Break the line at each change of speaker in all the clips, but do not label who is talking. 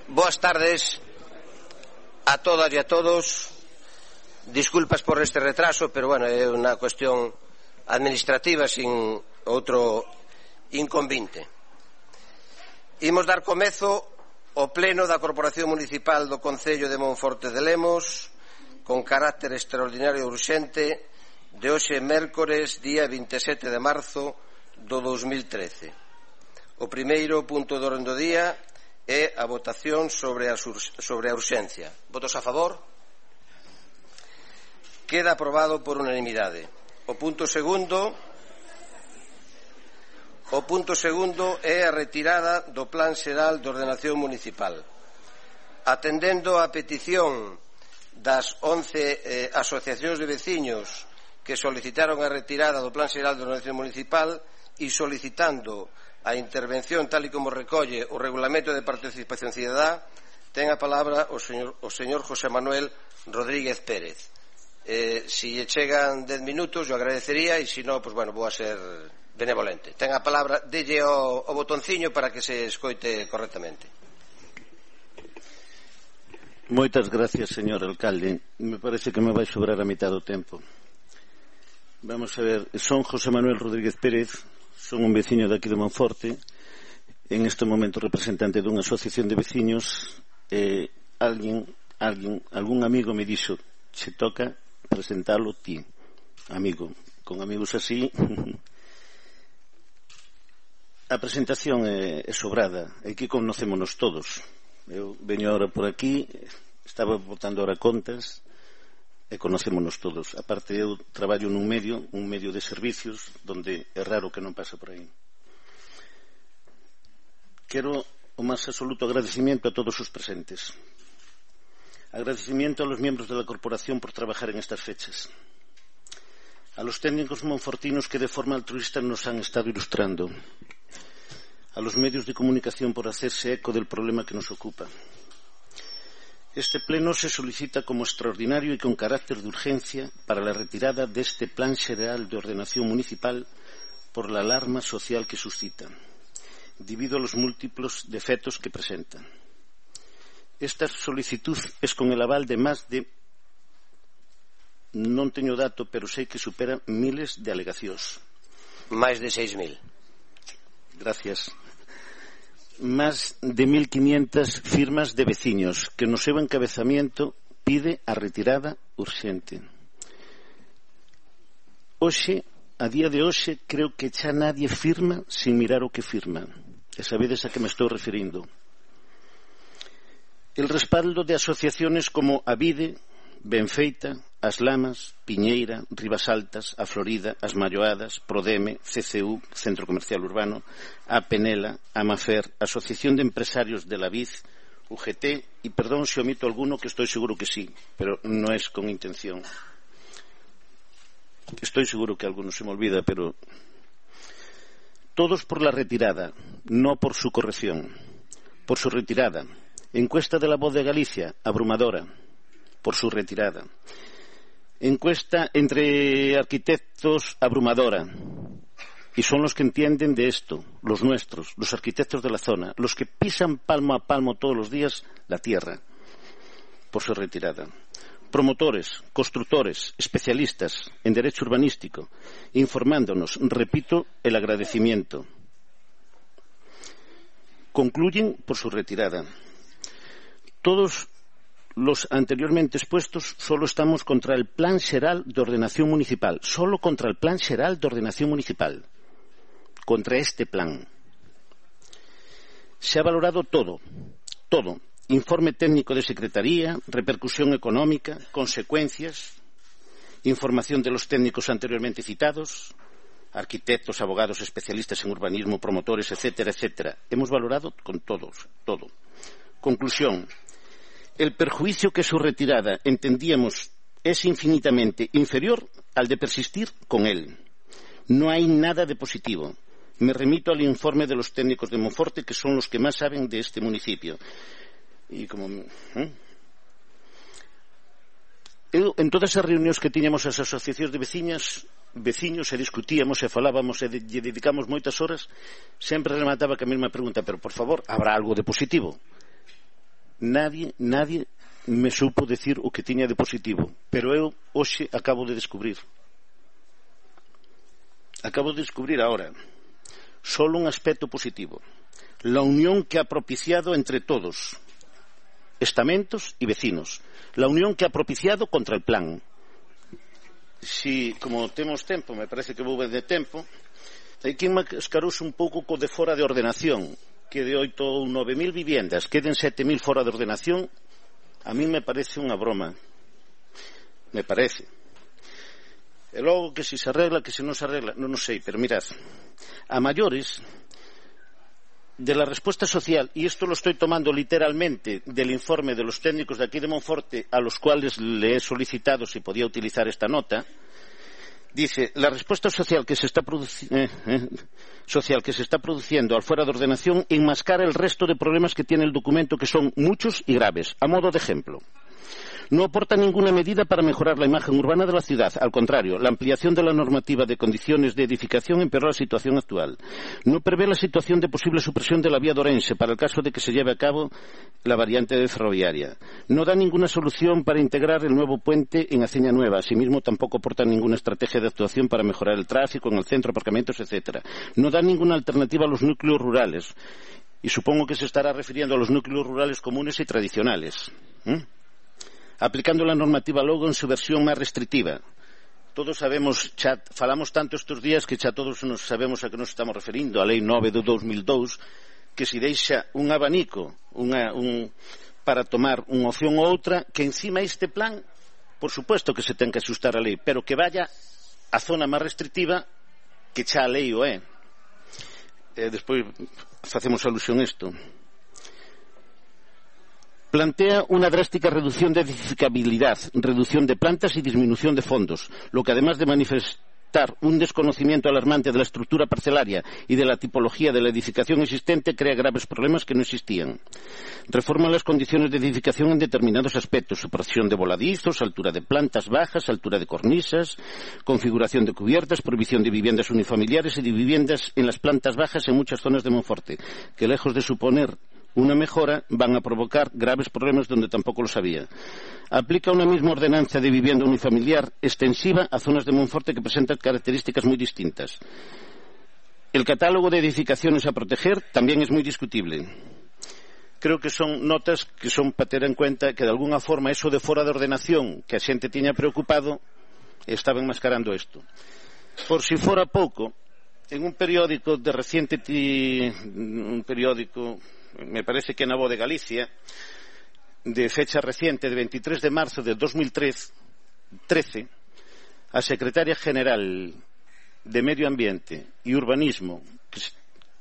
Boas tardes a todas e a todos. Disculpas por este retraso, pero bueno, é unha cuestión administrativa sin outro inconvinte. Imos dar comezo ao pleno da Corporación Municipal do Concello de Monforte de Lemos con carácter extraordinario e urxente de hoxe mércores, día 27 de marzo do 2013. O primeiro punto do orden do día é a votación sobre a urxencia. Votos a favor? Queda aprobado por unanimidade. O punto segundo é a retirada do Plan Xeral de Ordenación Municipal. Atendendo a petición das 11 asociacións de veciños que solicitaron a retirada do Plan Xeral de Ordenación Municipal e solicitando a intervención tal e como recolle o Regulamento de Participación Cidadá, ten a palabra o señor José Manuel Rodríguez Pérez. Si lle chegan 10 minutos, yo agradecería, e se non, pues bueno, vou a ser benevolente. Ten a palabra, delle o botonciño para que se escoite correctamente.
Moitas gracias, señor alcalde. Me parece que me vai sobrar a mitad do tempo. Vamos a ver, son José Manuel Rodríguez Pérez, son un veciño de aquí de Monforte, en este momento representante dunha asociación de veciños. Algún amigo me dixo, se toca presentalo ti, amigo. Con amigos así a presentación é sobrada, é que conocémonos todos. Eu veño ahora por aquí, estaba botando ahora contas e conocémonos todos. Aparte, eu traballo nun medio de servicios donde é raro que non pasa por aí. Quero o máis absoluto agradecimiento a todos os presentes. Agradecimiento a los miembros de la corporación por trabajar en estas fechas. A los técnicos monfortinos que de forma altruista nos han estado ilustrando. A los medios de comunicación por hacerse eco del problema que nos ocupa. Este pleno se solicita como extraordinario y con carácter de urgencia para la retirada de este Plan Xeral de Ordenación Municipal por la alarma social que suscita, debido a los múltiples defectos que presenta. Esta solicitud es con el aval de más de, non teño dato, pero sei que supera miles de alegacións.
Máis de 6.000.
Gracias. Más de 1.500 firmas de veciños que no seu encabezamiento pide a retirada urxente. Hoxe, a día de hoxe, creo que xa nadie firma sin mirar o que firma. E sabedes a que me estou referindo. El respaldo de asociaciones como Avide, Benfeita, As Lamas, Piñeira, Rivas Altas, A Florida, As Malloadas, Prodeme, CCU, Centro Comercial Urbano, A Penela, Amafer, Asociación de Empresarios de la Vid, UGT, y perdón si omito alguno, que estoy seguro que sí, pero no es con intención. Estoy seguro que alguno se me olvida, pero todos por la retirada, no por su corrección. Por su retirada. Encuesta de La Voz de Galicia, abrumadora. Por su retirada. Encuesta entre arquitectos, abrumadora. Y son los que entienden de esto, los nuestros, los arquitectos de la zona, los que pisan palmo a palmo todos los días la tierra. Por su retirada. Promotores, constructores, especialistas en derecho urbanístico, informándonos, repito, el agradecimiento. Concluyen por su retirada. Todos los anteriormente expuestos solo estamos contra el Plan Xeral de Ordenación Municipal, solo contra el Plan Xeral de Ordenación Municipal, contra este plan. Se ha valorado todo, informe técnico de Secretaría, repercusión económica, consecuencias, información de los técnicos anteriormente citados, arquitectos, abogados, especialistas en urbanismo, promotores, etcétera, etcétera. Hemos valorado con todos, todo. Conclusión. El perjuicio que su retirada, entendíamos, es infinitamente inferior al de persistir con él. No hay nada de positivo. Me remito al informe de los técnicos de Monforte, que son los que más saben de este municipio. Y como... En todas as reunións que tiñamos as asociacións de veciños e discutíamos e falábamos e dedicamos moitas horas, sempre remataba que a mesma pregunta, pero por favor, habrá algo de positivo? nadie me supo decir o que tiña de positivo, pero eu hoxe acabo de descubrir ahora solo un aspecto positivo: la unión que ha propiciado entre todos, estamentos y vecinos, la unión que ha propiciado contra el plan. Si, como temos tempo, me parece que vou ver de tempo, hai que mascarouse un pouco co de fora de ordenación, que de 8 ou 9.000 viviendas queden 7.000 fora de ordenación. A mí me parece unha broma, me parece. E logo que si se arregla, que se non se arregla, non sei, pero mirad, a maiores de la respuesta social, y esto lo estoy tomando literalmente del informe de los técnicos de aquí de Monforte, a los cuales le he solicitado si podía utilizar esta nota, dice: la respuesta social que se está produciendo al fuera de ordenación enmascara el resto de problemas que tiene el documento, que son muchos y graves. A modo de ejemplo, no aporta ninguna medida para mejorar la imagen urbana de la ciudad. Al contrario, la ampliación de la normativa de condiciones de edificación empeoró la situación actual. No prevé la situación de posible supresión de la vía de Orense para el caso de que se lleve a cabo la variante ferroviaria. No da ninguna solución para integrar el nuevo puente en Aceña Nueva. Asimismo, tampoco aporta ninguna estrategia de actuación para mejorar el tráfico en el centro, aparcamientos, etc. No da ninguna alternativa a los núcleos rurales. Y supongo que se estará refiriendo a los núcleos rurales comunes y tradicionales. Aplicando la normativa logo en su versión máis restrictiva. Todos sabemos, falamos tanto estes días que xa todos nos sabemos a que nos estamos referindo, a Lei 9 de 2002, que se deixa un abanico para tomar unha opción ou outra, que encima este plan, por suposto que se ten que asustar a lei, pero que vaya a zona máis restrictiva que xa a lei o é. Despois facemos alusión a isto. Plantea una drástica reducción de edificabilidad, reducción de plantas y disminución de fondos, lo que además de manifestar un desconocimiento alarmante de la estructura parcelaria y de la tipología de la edificación existente, crea graves problemas que no existían. Reforma las condiciones de edificación en determinados aspectos: supresión de voladizos, altura de plantas bajas, altura de cornisas, configuración de cubiertas, prohibición de viviendas unifamiliares y de viviendas en las plantas bajas en muchas zonas de Monforte, que lejos de suponer una mejora, van a provocar graves problemas donde tampoco los había. Aplica una misma ordenanza de vivienda unifamiliar extensiva a zonas de Monforte que presentan características muy distintas. El catálogo de edificaciones a proteger también es muy discutible. Creo que son notas que son para ter en cuenta que de alguna forma eso de fora de ordenación que a xente tiña preocupado estaba enmascarando isto. Por si fora pouco, en un periódico de reciente, un periódico, me parece que na Voz de Galicia, de fecha reciente, de 23 de marzo de 2013, a secretaria general de Medio Ambiente e Urbanismo,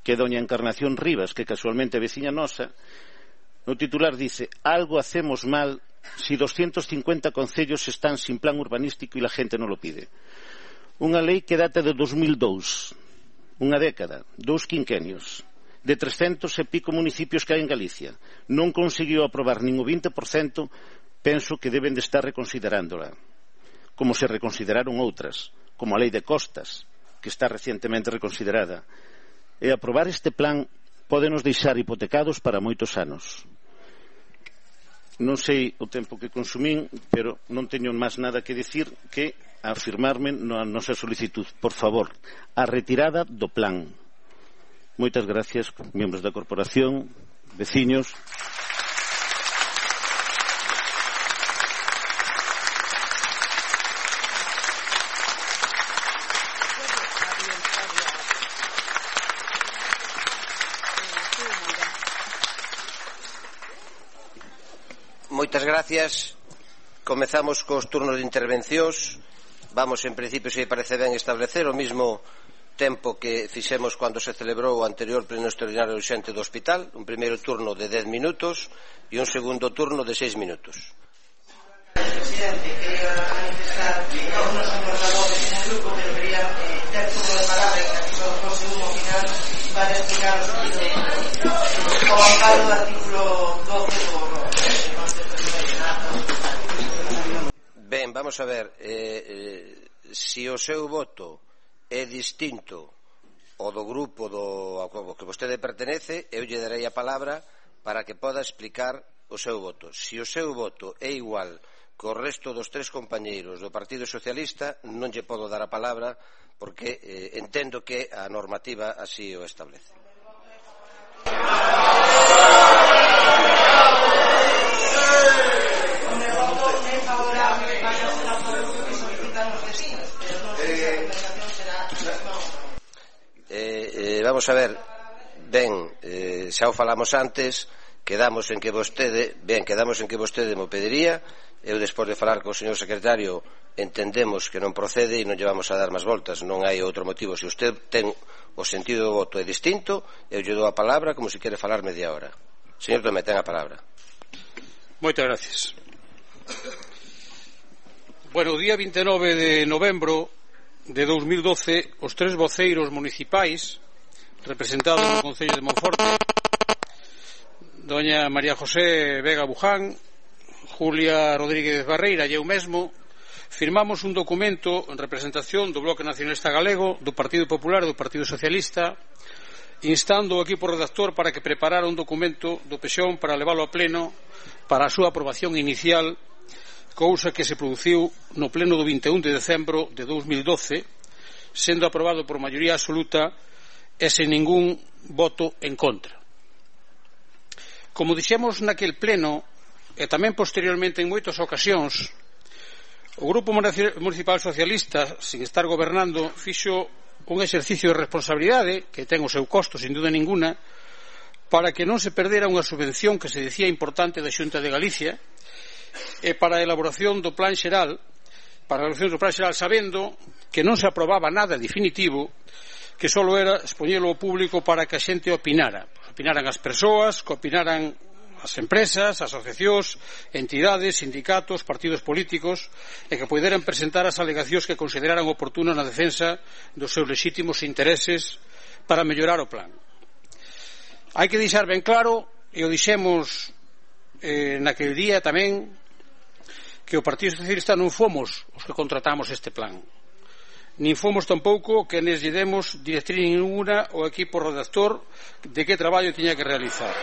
que é doña Encarnación Rivas, que casualmente é veciña nosa, no titular dice: algo hacemos mal si 250 concellos están sin plan urbanístico y la gente non lo pide. Unha lei que data de 2002, unha década, 2 quinquenios, de 300 e pico municipios que hai en Galicia. Non conseguiu aprobar nin o 20%, penso que deben de estar reconsiderándola, como se reconsideraron outras, como a Lei de Costas, que está recientemente reconsiderada. E aprobar este plan pode nos deixar hipotecados para moitos anos. Non sei o tempo que consumín, pero non teño máis nada que dicir que afirmarme na nosa solicitud. Por favor, a retirada do plan. Moitas gracias, membros da corporación, veciños.
Moitas gracias. Comezamos cos turnos de intervencións. Vamos, en principio, se parece ben, establecer o mismo tempo que fixemos cando se celebrou o anterior pleno extraordinario urxente do hospital, un primeiro turno de 10 minutos e un segundo turno de 6 minutos.
Presidente, quería manifestar que todos os portavoces en el grupo deberían ter turno de palabra en o segundo final para explicar o amparo do artículo 12 do
Ben, vamos a ver, se o seu voto é distinto ao do grupo ao que vostede pertenece, eu lle darei a palabra para que poda explicar o seu voto. Se o seu voto é igual co resto dos 3 compañeiros do Partido Socialista, non lle podo dar a palabra porque entendo que a normativa así o establece. Vamos a ver, xa o falamos antes, quedamos en que vostede mo pediría. Eu, despois de falar co señor secretario, entendemos que non procede e non lle vamos a dar máis voltas, non hai outro motivo. Se usted ten o sentido do voto é distinto, eu lle dou a palabra como se quere falar media hora. Señor Tomé, ten a palabra.
Moitas gracias. Bueno, o día 29 de novembro de 2012, os 3 voceiros municipais representados no Concello de Monforte, doña María José Vega Buján, Julia Rodríguez Barreira e eu mesmo, firmamos un documento en representación do Bloque Nacionalista Galego, do Partido Popular e do Partido Socialista, instando o equipo redactor para que preparara un documento do PSOE para leválo a pleno para a súa aprobación inicial, cousa que se produciu no pleno do 21 de decembro de 2012, sendo aprobado por maioría absoluta e sen ningún voto en contra. Como dixemos naquel pleno, e tamén posteriormente en moitas ocasións, o Grupo Municipal Socialista, sin estar gobernando, fixo un exercicio de responsabilidade que ten o seu costo, sin duda ninguna, para que non se perdera unha subvención que se dicía importante da Xunta de Galicia e para a elaboración do Plan Xeral, sabendo que non se aprobaba nada definitivo, que só era expoñelo ao público para que a xente opinaran. Opinaran as persoas, que opinaran as empresas, asociacións, entidades, sindicatos, partidos políticos, e que poderan presentar as alegacións que consideraran oportunas na defensa dos seus lexítimos intereses para mellorar o plan. Hai que deixar ben claro, e o dixemos naquel día tamén, que o Partido Socialista non fomos os que contratamos este plan, nin fomos tampouco que nes lle demos directriz ninguna ao equipo redactor de que traballo tiña que realizar.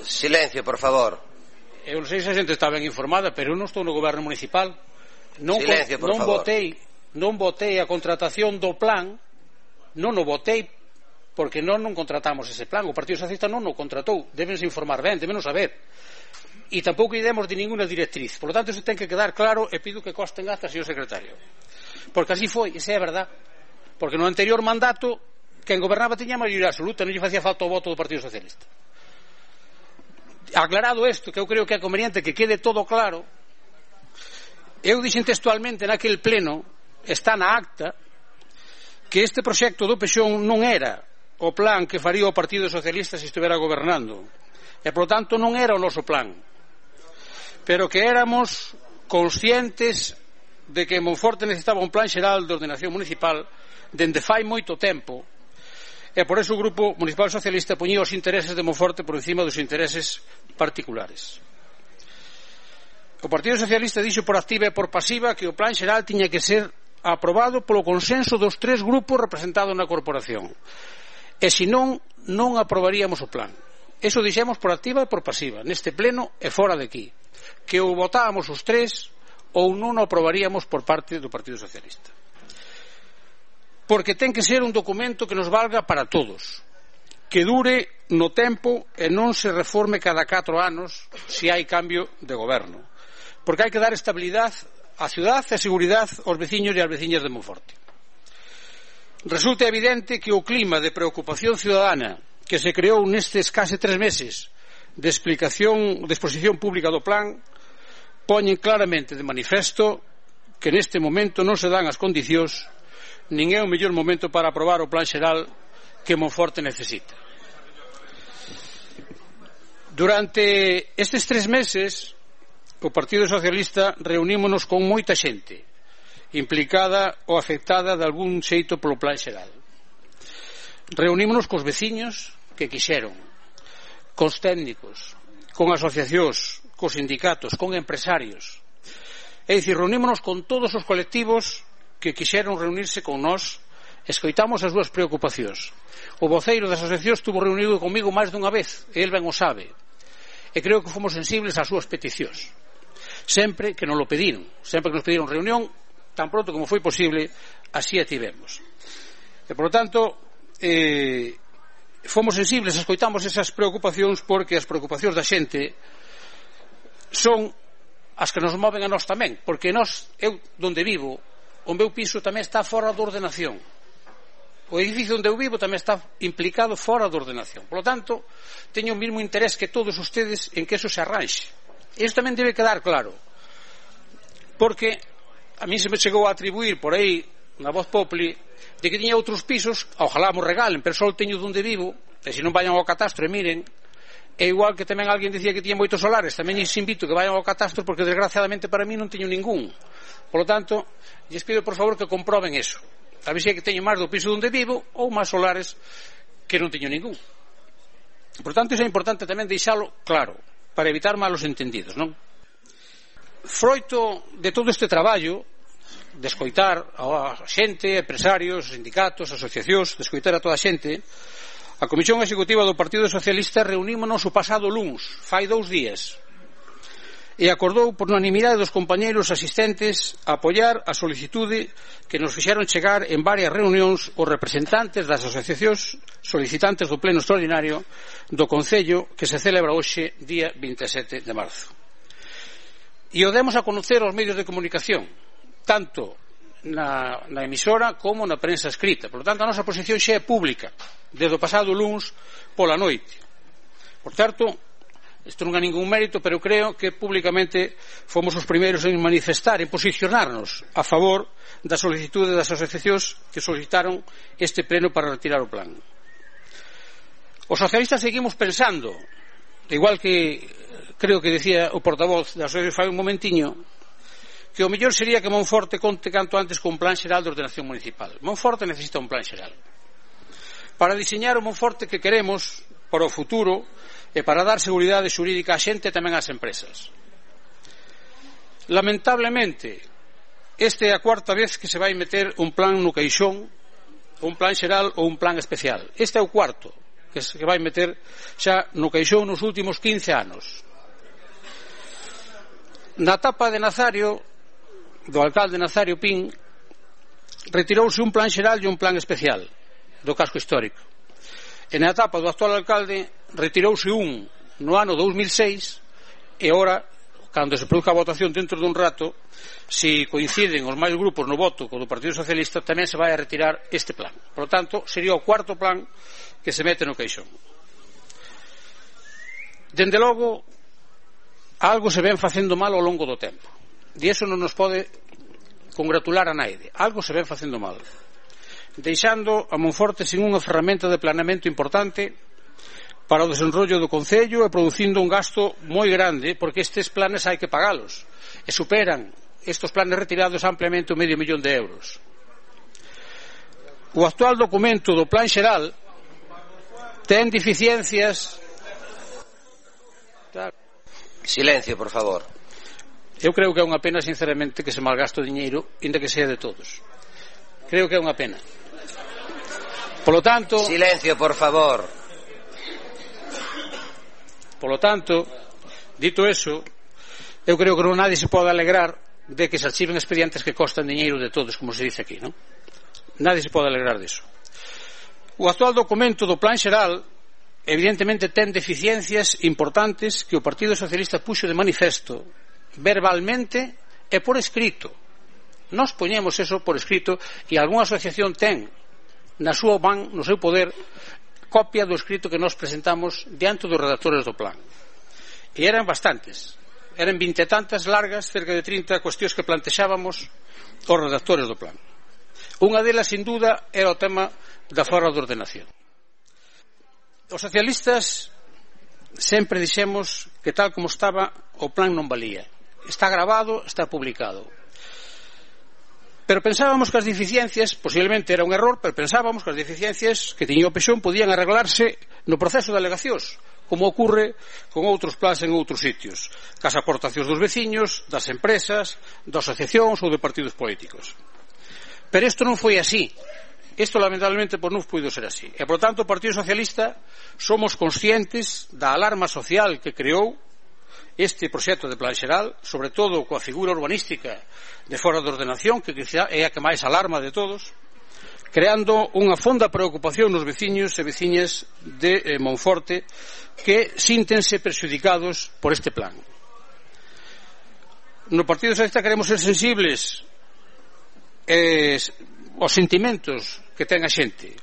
Silencio, por favor.
Eu non sei se a xente está ben informada, pero eu non estou no goberno municipal.
Silencio, por favor.
Non votei a contratación do plan, non o votei porque non contratamos ese plan. O Partido Socialista non o contratou. Débense informar ben, débenos saber. E tampouco lle demos de ninguna directriz. Por lo tanto, iso ten que quedar claro e pido que coste en acta, señor secretario. Porque así foi, esa é a verdad. Porque no anterior mandato, quen gobernaba tiña maioría absoluta, non lle facía falta o voto do Partido Socialista. Aclarado isto, que eu creo que é conveniente que quede todo claro, eu dixen textualmente naquel pleno, está na acta, que este proxecto do PSOE non era o plan que faría o Partido Socialista se estivera gobernando, e por tanto non era o noso plan, pero que éramos conscientes de que Monforte necesitaba un plan xeral de ordenación municipal dende fai moito tempo, e por eso o Grupo Municipal Socialista poñía os intereses de Monforte por encima dos intereses particulares. O Partido Socialista dixo por activa e por pasiva que o plan xeral tiña que ser aprobado polo consenso dos 3 grupos representados na corporación, e senón non aprobaríamos o plan. Eso dixemos por activa e por pasiva, neste pleno e fora de aquí, que ou votábamos os 3 ou non o aprobaríamos por parte do Partido Socialista. Porque ten que ser un documento que nos valga para todos, que dure no tempo e non se reforme cada 4 anos se hai cambio de goberno, porque hai que dar estabilidade á cidade e seguridade aos veciños e ás veciñas de Monforte. Resulta evidente que o clima de preocupación ciudadana que se creou nestes case 3 meses de exposición pública do plan poñen claramente de manifesto que neste momento non se dan as condicións nin é o mellor momento para aprobar o plan xeral que Monforte necesita. Durante estes 3 meses o Partido Socialista reunímonos con moita xente implicada ou afectada de algún xeito polo plan xeral. Reunímonos cos veciños que quixeron, cos técnicos, con asociacións, cos sindicatos, con empresarios. É dicir, reunímonos con todos os colectivos que quixeron reunirse con nós escoitamos as súas preocupacións. O voceiro das asociacións estuvo reunido comigo máis dunha vez, e el ben o sabe, e creo que fomos sensibles ás súas peticións, sempre que nos lo pediron, sempre que nos pediron reunión, tan pronto como foi posible, así a tivemos. E, por lo tanto, fomos sensibles, escoitamos esas preocupacións, porque as preocupacións da xente son as que nos moven a nós tamén, porque eu donde vivo, o meu piso tamén está fora da ordenación, o edificio onde eu vivo tamén está implicado fora da ordenación. Por lo tanto, teño o mesmo interés que todos ustedes en que eso se arranxe. Isto tamén debe quedar claro, porque a mí se me chegou a atribuir por aí na voz populi de que tiña outros pisos, ojalá mo regalen, pero só teño donde vivo, e se non vayan ao catastro e miren. É igual que tamén alguén dicía que tiña moitos solares, tamén lles invito que vayan ao catastro, porque desgraciadamente para mí non teño ningún. Por lo tanto, lles pido por favor que comproben eso, a ver se é que teño máis do piso onde vivo ou máis solares que non teño ningún. Por tanto, iso é importante tamén deixalo claro, para evitar malos entendidos, non? Froito de todo este traballo de escoitar a xente, empresarios, sindicatos, asociacións, de escoitar a toda a xente, a Comisión Executiva do Partido Socialista reunímonos o pasado luns, fai 2 días, e acordou por unanimidade dos compañeiros asistentes a apoiar a solicitude que nos fixeron chegar en varias reunións os representantes das asociacións solicitantes do pleno extraordinario do Concello que se celebra hoxe, día 27 de marzo. E o demos a conocer aos medios de comunicación, tanto na emisora como na prensa escrita. Por lo tanto, a nosa posición xa é pública desde o pasado luns pola noite. Por certo, isto non é ningún mérito, pero creo que públicamente fomos os primeiros en manifestar, en posicionarnos a favor da solicitude das asociacións que solicitaron este pleno para retirar o plan. Os socialistas seguimos pensando, igual que creo que decía o portavoz da asociación fai un momentiño, que o mellor sería que Monforte conte canto antes con un plan xeral de ordenación municipal. Monforte necesita un plan xeral para diseñar o Monforte que queremos para o futuro e para dar seguridade xurídica á xente e tamén ás empresas. Lamentablemente, esta é a 4ª vez que se vai meter un plan no caixón, un plan xeral ou un plan especial. Este é o 4º que se vai meter xa no caixón nos últimos 15 anos. Na etapa de Nazario, do alcalde Nazario Pin, retirouse un plan xeral e un plan especial do casco histórico. E na etapa do actual alcalde retirouse un no ano 2006 e ora, cando se produza a votación dentro dun rato, se coinciden os máis grupos no voto co do Partido Socialista, tamén se vai a retirar este plan. Por lo tanto, sería o 4º plan que se mete no caixón. Dende logo, algo se ven facendo mal ao longo do tempo, e iso non nos pode congratular a naide. Algo se ven facendo mal, deixando a Monforte sin unha ferramenta de planeamento importante para o desenrollo do Concello e producindo un gasto moi grande, porque estes planes hai que pagalos e superan estes planes retirados ampliamente o €500.000. O actual documento do plan xeral ten deficiencias.
Silencio, por favor.
Eu creo que é unha pena, sinceramente, que se malgaste o diñeiro, inda que sea de todos. Creo que é unha pena. Por lo tanto,
silencio, por favor.
Por lo tanto, dito eso, eu creo que non nadie se pode alegrar de que se archiven expedientes que costan diñeiro de todos, como se dice aquí, non? Nadie se pode alegrar diso. O actual documento do plan xeral evidentemente ten deficiencias importantes que o Partido Socialista puxo de manifesto verbalmente e por escrito. Nós poñemos eso por escrito e algunha asociación ten na súa man, no seu poder, copia do escrito que nós presentamos diante dos redactores do plan. E eran bastantes, eran 20 e tantas largas, cerca de 30 cuestións que plantexábamos os redactores do plan. Unha delas, sin duda, era o tema da forma de ordenación. Os socialistas sempre dixemos que tal como estaba o plan non valía. Está grabado, está publicado. Pero pensábamos que as deficiencias, posiblemente era un error, pero pensábamos que as deficiencias que tiña o Pexón podían arreglarse no proceso de alegacións, como ocurre con outros plans en outros sitios, cas aportacións dos veciños, das empresas, das asociacións ou de partidos políticos. Pero isto non foi así. Isto, lamentablemente, non puido ser así. E, por tanto, o Partido Socialista somos conscientes da alarma social que creou este proxecto de plan xeral, sobre todo coa figura urbanística de fora de ordenación, que quizá é a que máis alarma de todos, creando unha fonda preocupación nos veciños e veciñas de Monforte que síntense perxudicados por este plan. No Partido Socialista queremos ser sensibles aos sentimentos que ten a xente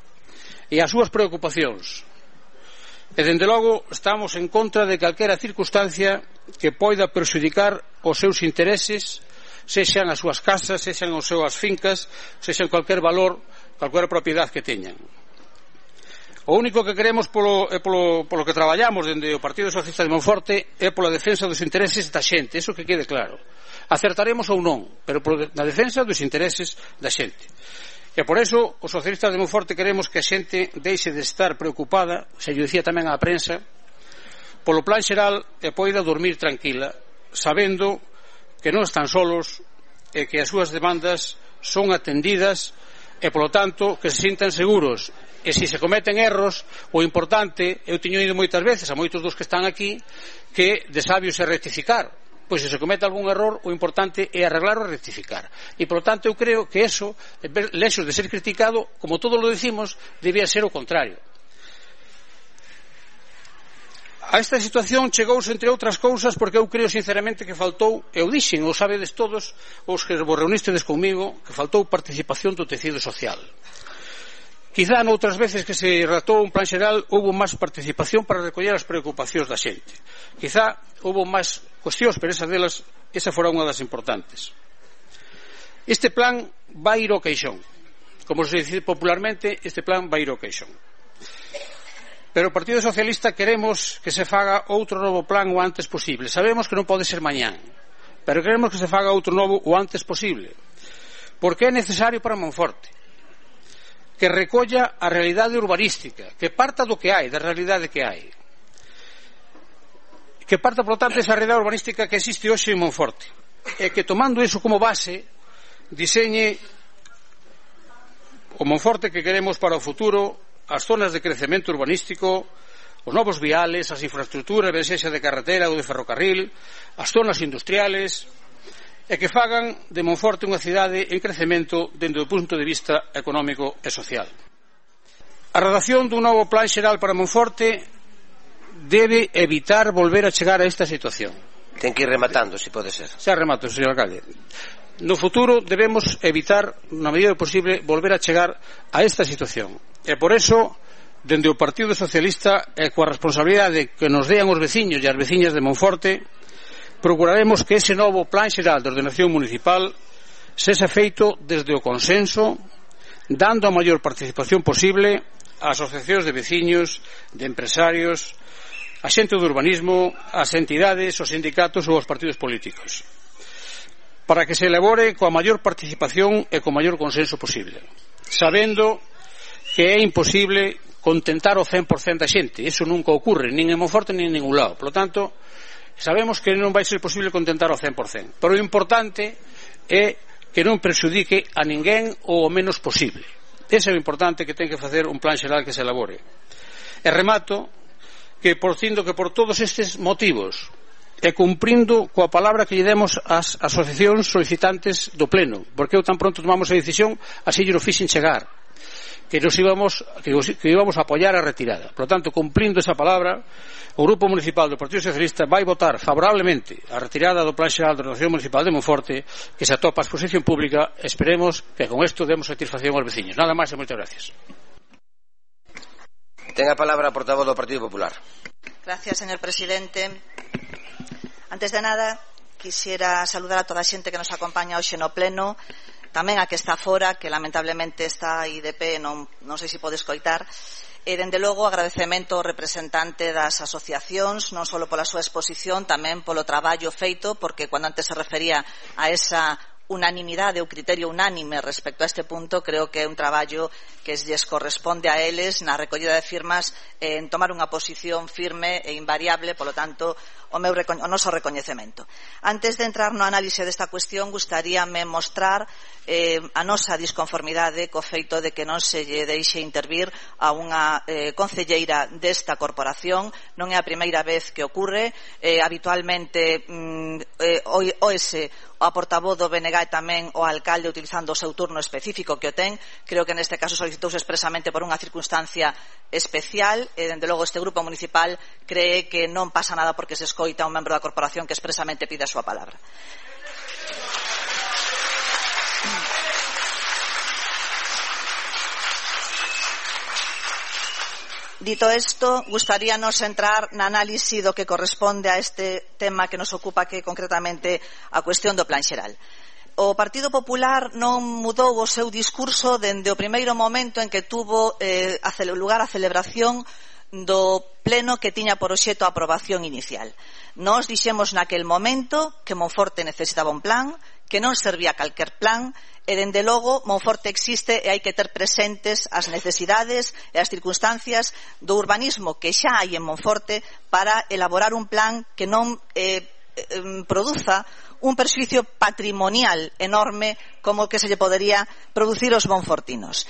e as súas preocupacións, e dende logo estamos en contra de calquera circunstancia que poida perxudicar os seus intereses, sexan as súas casas, sexan as súas fincas, sexan cualquier valor, cualquier propiedade que teñan. O único que queremos polo que traballamos dende o Partido Socialista de Monforte é pola defensa dos intereses da xente, eso que quede claro. Acertaremos ou non, pero na defensa dos intereses da xente. E por eso os socialistas de Monforte queremos que a xente deixe de estar preocupada, se lle dicía tamén á prensa, polo plan xeral e poida dormir tranquila, sabendo que non están solos e que as súas demandas son atendidas e, polo tanto, que se sintan seguros. E se se cometen erros, o importante, eu teño ido moitas veces a moitos dos que están aquí, que de sabios é rectificar. Pois se se comete algún error, o importante é arreglar ou rectificar. E, polo tanto, eu creo que eso, lexos de ser criticado, como todos lo decimos, debía ser o contrario. A esta situación chegouse, entre outras cousas, porque eu creo sinceramente que faltou, eu dixen, ou sabedes todos os que vos reunistedes comigo, que faltou participación do tecido social. Quizá noutras veces que se redactou un plan xeral houve máis participación para recoller as preocupacións da xente. Quizá houve máis cuestións, pero esa fora unha das importantes. Este plan vai ir ao queixón. Como se dice popularmente, este plan vai ir ao queixón. Pero o Partido Socialista queremos que se faga outro novo plan o antes posible. Sabemos que non pode ser mañán, pero queremos que se faga outro novo o antes posible, porque é necesario para Monforte, que recolla a realidade urbanística, que parta do que hai, da realidade que hai, que parta, por tanto, desa realidade urbanística que existe hoxe en Monforte, e que, tomando iso como base, diseñe o Monforte que queremos para o futuro, as zonas de crecemento urbanístico, os novos viales, as infraestructuras, ben sexa de carretera ou de ferrocarril, as zonas industriales, e que fagan de Monforte unha cidade en crecemento dende o punto de vista económico e social. A redacción dun novo plan xeral para Monforte debe evitar volver a chegar a esta situación.
Ten que ir rematando, se pode ser.
Xa remato, señor alcalde. No futuro debemos evitar, na medida do posible, volver a chegar a esta situación. E por eso, dende o Partido Socialista e coa responsabilidade que nos dean os veciños e as veciñas de Monforte, procuraremos que ese novo plan xeral de ordenación municipal sexa feito desde o consenso, dando a maior participación posible a asociacións de veciños, de empresarios, a xente do urbanismo, as entidades, os sindicatos ou os partidos políticos, para que se elabore coa maior participación e co maior consenso posible, sabendo que é imposible contentar o 100% da xente. Iso nunca ocurre, nin en Monforte nin en ningún lado. Por lo tanto, sabemos que non vai ser posible contentar o 100%, pero o importante é que non perxudique a ninguén o menos posible. Ese é o importante que ten que facer un plan xeral que se elabore. E remato que por todos estes motivos e cumprindo coa palabra que lle demos ás asociacións solicitantes do pleno, porque eu tan pronto tomamos a decisión, así lle o fixen chegar, que íbamos a apoiar a retirada. Por lo tanto, cumplindo esa palabra, o Grupo Municipal do Partido Socialista vai votar favorablemente a retirada do Plan Xeral de Ordenación Municipal de Monforte, que se atopa a exposición pública. Esperemos que con isto demos satisfacción aos veciños. Nada máis e moitas gracias.
Ten a palabra a portavoz do Partido Popular.
Gracias, señor presidente. Antes de nada, quisiera saludar a toda a xente que nos acompaña hoxe no pleno, tamén a que está fora, que lamentablemente está aí de pé, non sei se pode escoitar, e dende logo agradecemento ao representante das asociacións, non só pola súa exposición, tamén polo traballo feito, porque cando antes se refería a esa unanimidade ou criterio unánime respecto a este punto, creo que é un traballo que lles corresponde a eles na recollida de firmas en tomar unha posición firme e invariable, polo tanto, o noso recoñecemento. Antes de entrar no análise desta cuestión, gustaríame mostrar a nosa disconformidade co feito de que non se lle deixe intervir a unha concelleira desta corporación. Non é a primeira vez que ocorre. Habitualmente oese a portavoz do BNG e tamén o alcalde utilizando o seu turno específico que o ten. Creo que neste caso solicitouse expresamente por unha circunstancia especial e, dende logo, este grupo municipal cree que non pasa nada porque se escoita a un membro da corporación que expresamente pide a súa palabra. Dito isto, gustaríanos entrar na análise do que corresponde a este tema que nos ocupa, que concretamente a cuestión do Plan Xeral. O Partido Popular non mudou o seu discurso dende o primeiro momento en que tuvo lugar a celebración do pleno que tiña por obxecto a aprobación inicial. Nós dixemos naquel momento que Monforte necesitaba un plan, que non servía calquer plan, e dende logo Monforte existe e hai que ter presentes as necesidades e as circunstancias do urbanismo que xa hai en Monforte para elaborar un plan que non produza un perxuicio patrimonial enorme como o que se lle podería producir aos monfortinos.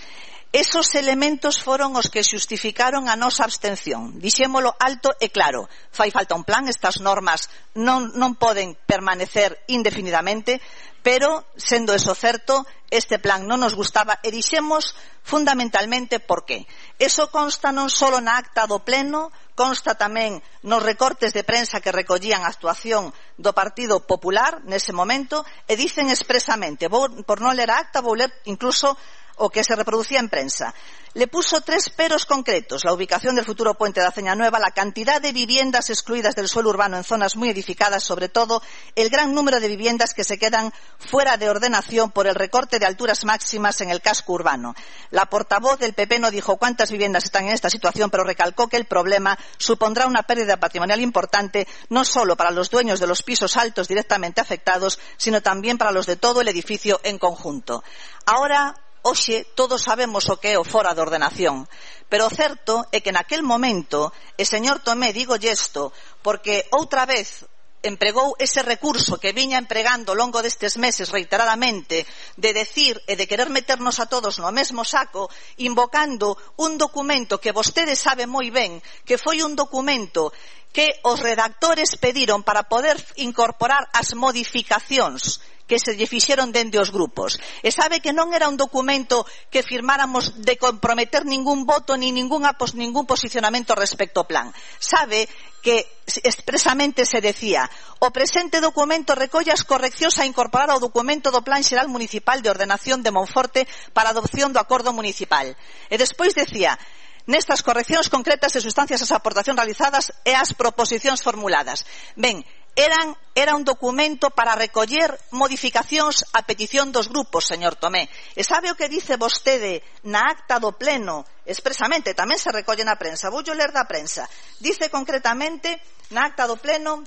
Esos elementos foron os que xustificaron a nosa abstención. Dixémolo alto e claro. Fai falta un plan, estas normas non poden permanecer indefinidamente, pero, sendo eso certo, este plan non nos gustaba e dixemos fundamentalmente por qué. Eso consta non só na acta do pleno, consta tamén nos recortes de prensa que recollían a actuación do Partido Popular nese momento e dicen expresamente, por non ler a acta, vou ler incluso o que se reproducía en prensa. Le puso 3 peros concretos: la ubicación del futuro puente de Aceña Nueva, la cantidad de viviendas excluidas del suelo urbano en zonas muy edificadas, sobre todo el gran número de viviendas que se quedan fuera de ordenación por el recorte de alturas máximas en el casco urbano. La portavoz del PP no dijo cuántas viviendas están en esta situación, pero recalcó que el problema supondrá una pérdida patrimonial importante, no solo para los dueños de los pisos altos directamente afectados, sino también para los de todo el edificio en conjunto. Ahora, hoxe, todos sabemos o que é o fora de ordenación, pero o certo é que naquel momento, e señor Tomé, digo isto porque outra vez empregou ese recurso que viña empregando ao longo destes meses reiteradamente de decir e de querer meternos a todos no mesmo saco, invocando un documento que vostede sabe moi ben que foi un documento que os redactores pediron para poder incorporar as modificacións que se lle fixeron dende os grupos. E sabe que non era un documento que firmáramos de comprometer ningún voto ni ningún posicionamento respecto ao plan. Sabe que expresamente se decía: o presente documento recolle as correccións a incorporar ao documento do Plan Xeral Municipal de Ordenación de Monforte para adopción do acordo municipal. E despois decía: nestas correccións concretas e sustancias as aportacións realizadas e as proposicións formuladas. Ben, era un documento para recoller modificacións a petición dos grupos, señor Tomé. E sabe o que dice vostede na acta do pleno expresamente? Tamén se recolle na prensa. Voulle ler da prensa. Dice concretamente na acta do pleno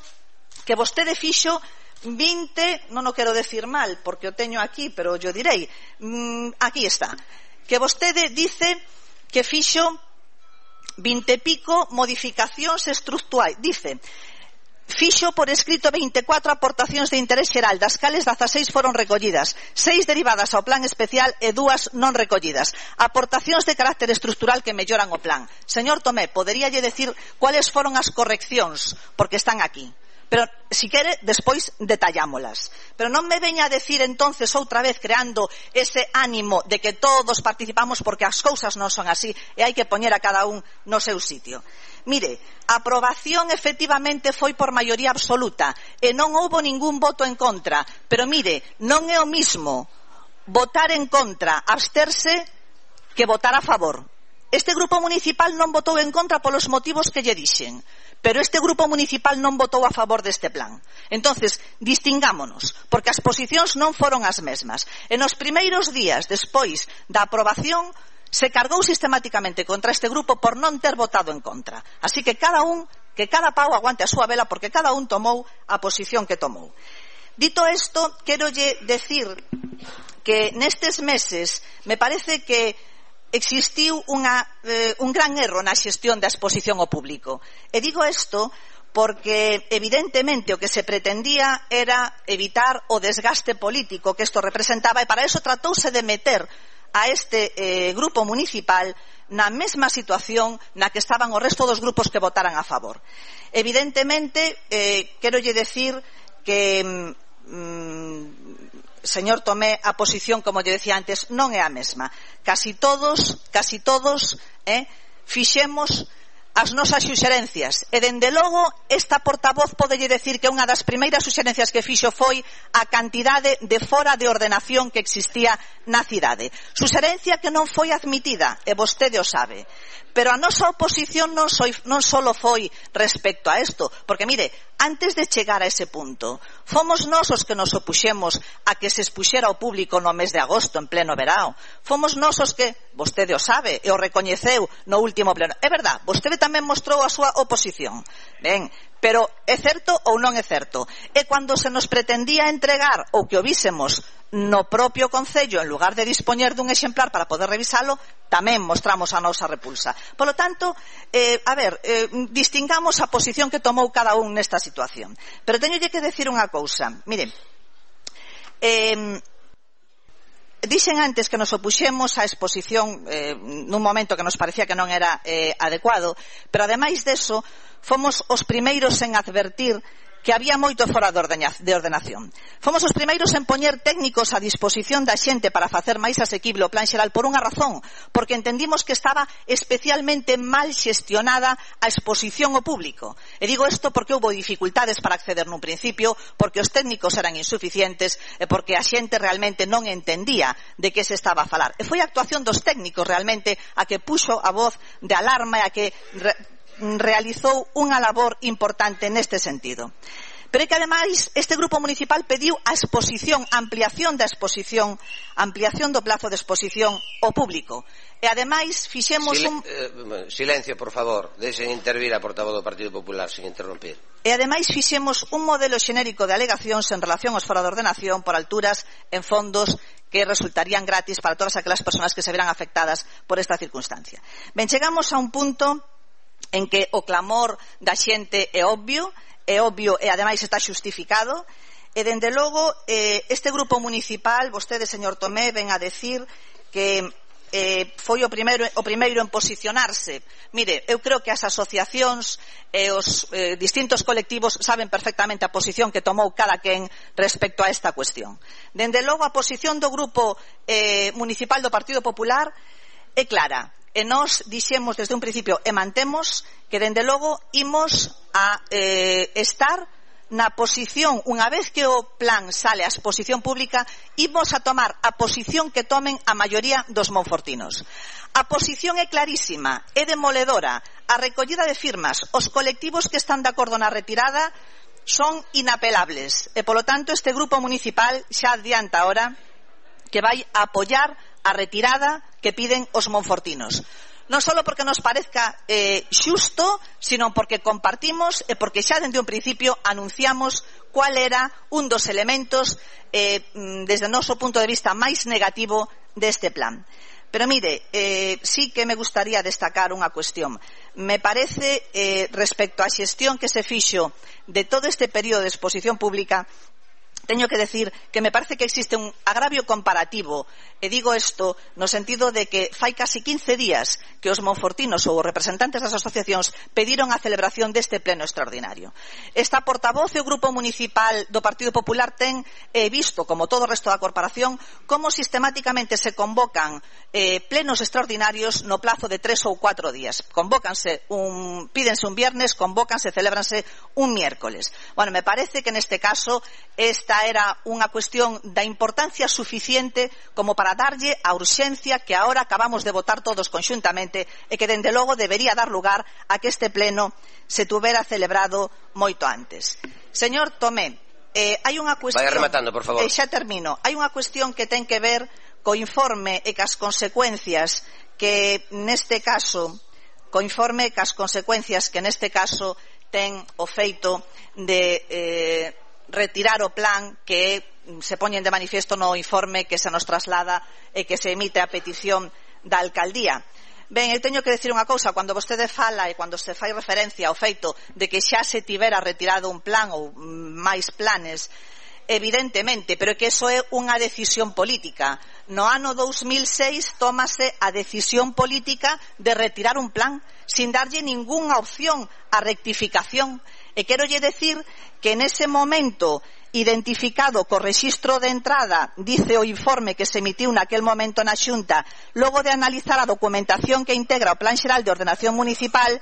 que vostede fixo 20, non o quero decir mal porque o teño aquí, pero yo direi, aquí está, que vostede dice que fixo 20 e pico modificacións estructurais. Dice: fixo por escrito 24 aportacións de interés xeral, das cales 16 foron recollidas, 6 derivadas ao plan especial e 2 non recollidas. Aportacións de carácter estructural que melloran o plan. Señor Tomé, poderíalle decir cuáles foron as correccións, porque están aquí. Pero, si quere, despois detallámolas. Pero non me veña a decir entonces outra vez creando ese ánimo de que todos participamos, porque as cousas non son así e hai que poñer a cada un no seu sitio. Mire, a aprobación efectivamente foi por maioría absoluta e non houbo ningún voto en contra. Pero mire, non é o mismo votar en contra, absterse, que votar a favor. Este grupo municipal non votou en contra polos motivos que lle dixen, pero este grupo municipal non votou a favor deste plan. Entonces, distingámonos, porque as posicións non foron as mesmas. E nos primeiros días despois da aprobación se cargou sistemáticamente contra este grupo por non ter votado en contra. Así que cada pau aguante a súa vela, porque cada un tomou a posición que tomou. Dito isto, querolle decir que nestes meses me parece que existiu un gran erro na xestión da exposición ao público. E digo isto porque evidentemente o que se pretendía era evitar o desgaste político que isto representaba, e para eso tratouse de meter a este grupo municipal na mesma situación na que estaban o resto dos grupos que votaran a favor. Evidentemente, querolle decir que señor Tomé, a posición, como lle decía antes, non é a mesma. Casi todos fixemos as nosas suxerencias, e dende logo esta portavoz podelle decir que unha das primeiras suxerencias que fixo foi a cantidade de fora de ordenación que existía na cidade. Suxerencia que non foi admitida, e vostede o sabe. Pero a nosa oposición non só foi respecto a isto, porque mire, antes de chegar a ese punto, fomos nós os que nos opuxemos a que se expuxera ao público no mes de agosto, en pleno verao. Fomos nós os que, vostede o sabe, e o recoñeceu no último pleno. É verdad, vostede tamén mostrou a súa oposición. Ben, pero é certo ou non é certo? E cando se nos pretendía entregar ou que o vísemos no propio Concello, en lugar de dispoñer dun exemplar para poder revisalo, tamén mostramos a nosa repulsa. Polo tanto, distingamos a posición que tomou cada un nesta situación. Pero teñolle que decir unha cousa. Miren, dixen antes que nos opuxemos á exposición nun momento que nos parecía que non era adecuado, pero ademais deso, fomos os primeiros en advertir que había moito fora de ordenación. Fomos os primeiros en poñer técnicos a disposición da xente para facer máis asequible o plan xeral por unha razón, porque entendimos que estaba especialmente mal xestionada a exposición ao público. E digo isto porque houve dificultades para acceder nun principio, porque os técnicos eran insuficientes e porque a xente realmente non entendía de que se estaba a falar. E foi a actuación dos técnicos realmente a que puxo a voz de alarma e a que realizou unha labor importante neste sentido. Pero é que ademais este grupo municipal pediu a exposición, ampliación da exposición, ampliación do plazo de exposición ao público. E ademais fixemos
Silencio, por favor, deixen intervir a portavoz do Partido Popular sin interrompir.
E ademais fixemos un modelo xenérico de alegacións en relación aos fora de ordenación por alturas en fondos que resultarían gratis para todas aquelas persoas que se verán afectadas por esta circunstancia. Ben, chegamos a un punto en que o clamor da xente é obvio e ademais está xustificado, e dende logo este grupo municipal, vostede, señor Tomé, ven a decir que foi o primeiro en posicionarse. Mire, eu creo que as asociacións e os distintos colectivos saben perfectamente a posición que tomou cada quen respecto a esta cuestión. Dende logo, a posición do grupo municipal do Partido Popular é clara. E nós dixemos desde un principio e mantemos que dende logo imos a estar na posición, unha vez que o plan sale a exposición pública, imos a tomar a posición que tomen a maioría dos monfortinos. A posición é clarísima, é demoledora. A recollida de firmas, os colectivos que están de acordo na retirada son inapelables e, polo tanto, este grupo municipal xa adianta ahora que vai a apoiar a retirada que piden os monfortinos. Non só porque nos parezca xusto, sino porque compartimos e porque xa dende un principio anunciamos cual era un dos elementos desde o noso punto de vista máis negativo deste plan. Pero mire, sí que me gustaría destacar unha cuestión. Me parece, respecto á xestión que se fixo de todo este período de exposición pública, teño que decir que me parece que existe un agravio comparativo, e digo isto no sentido de que fai casi 15 días que os monfortinos ou os representantes das asociacións pediron a celebración deste pleno extraordinario. Esta portavoz e o grupo municipal do Partido Popular ten visto, como todo o resto da corporación, como sistemáticamente se convocan plenos extraordinarios no plazo de 3 ou 4 días. Pídense un viernes, convócanse, celébranse un miércoles. Bueno, me parece que neste caso esta era unha cuestión da importancia suficiente como para darlle a urxencia que agora acabamos de votar todos conxuntamente e que dende logo debería dar lugar a que este pleno se tuvera celebrado moito antes. Señor Tomé, hai unha cuestión...
Vaya rematando, por favor.
Xa termino. Hai unha cuestión que ten que ver co informe e cas consecuencias que neste caso ten o feito de retirar o plan que se poñen de manifiesto no informe que se nos traslada e que se emite a petición da alcaldía. Ben, eu teño que decir unha cousa, cando vostede fala e cando se fai referencia ao feito de que xa se tivera retirado un plan ou máis planes, evidentemente, pero que eso é unha decisión política. No ano 2006 tómase a decisión política de retirar un plan sin darlle ningunha opción a rectificación. E querolle decir que nese momento identificado co rexistro de entrada, dice o informe que se emitiu naquel momento na Xunta, logo de analizar a documentación que integra o Plan Xeral de Ordenación Municipal,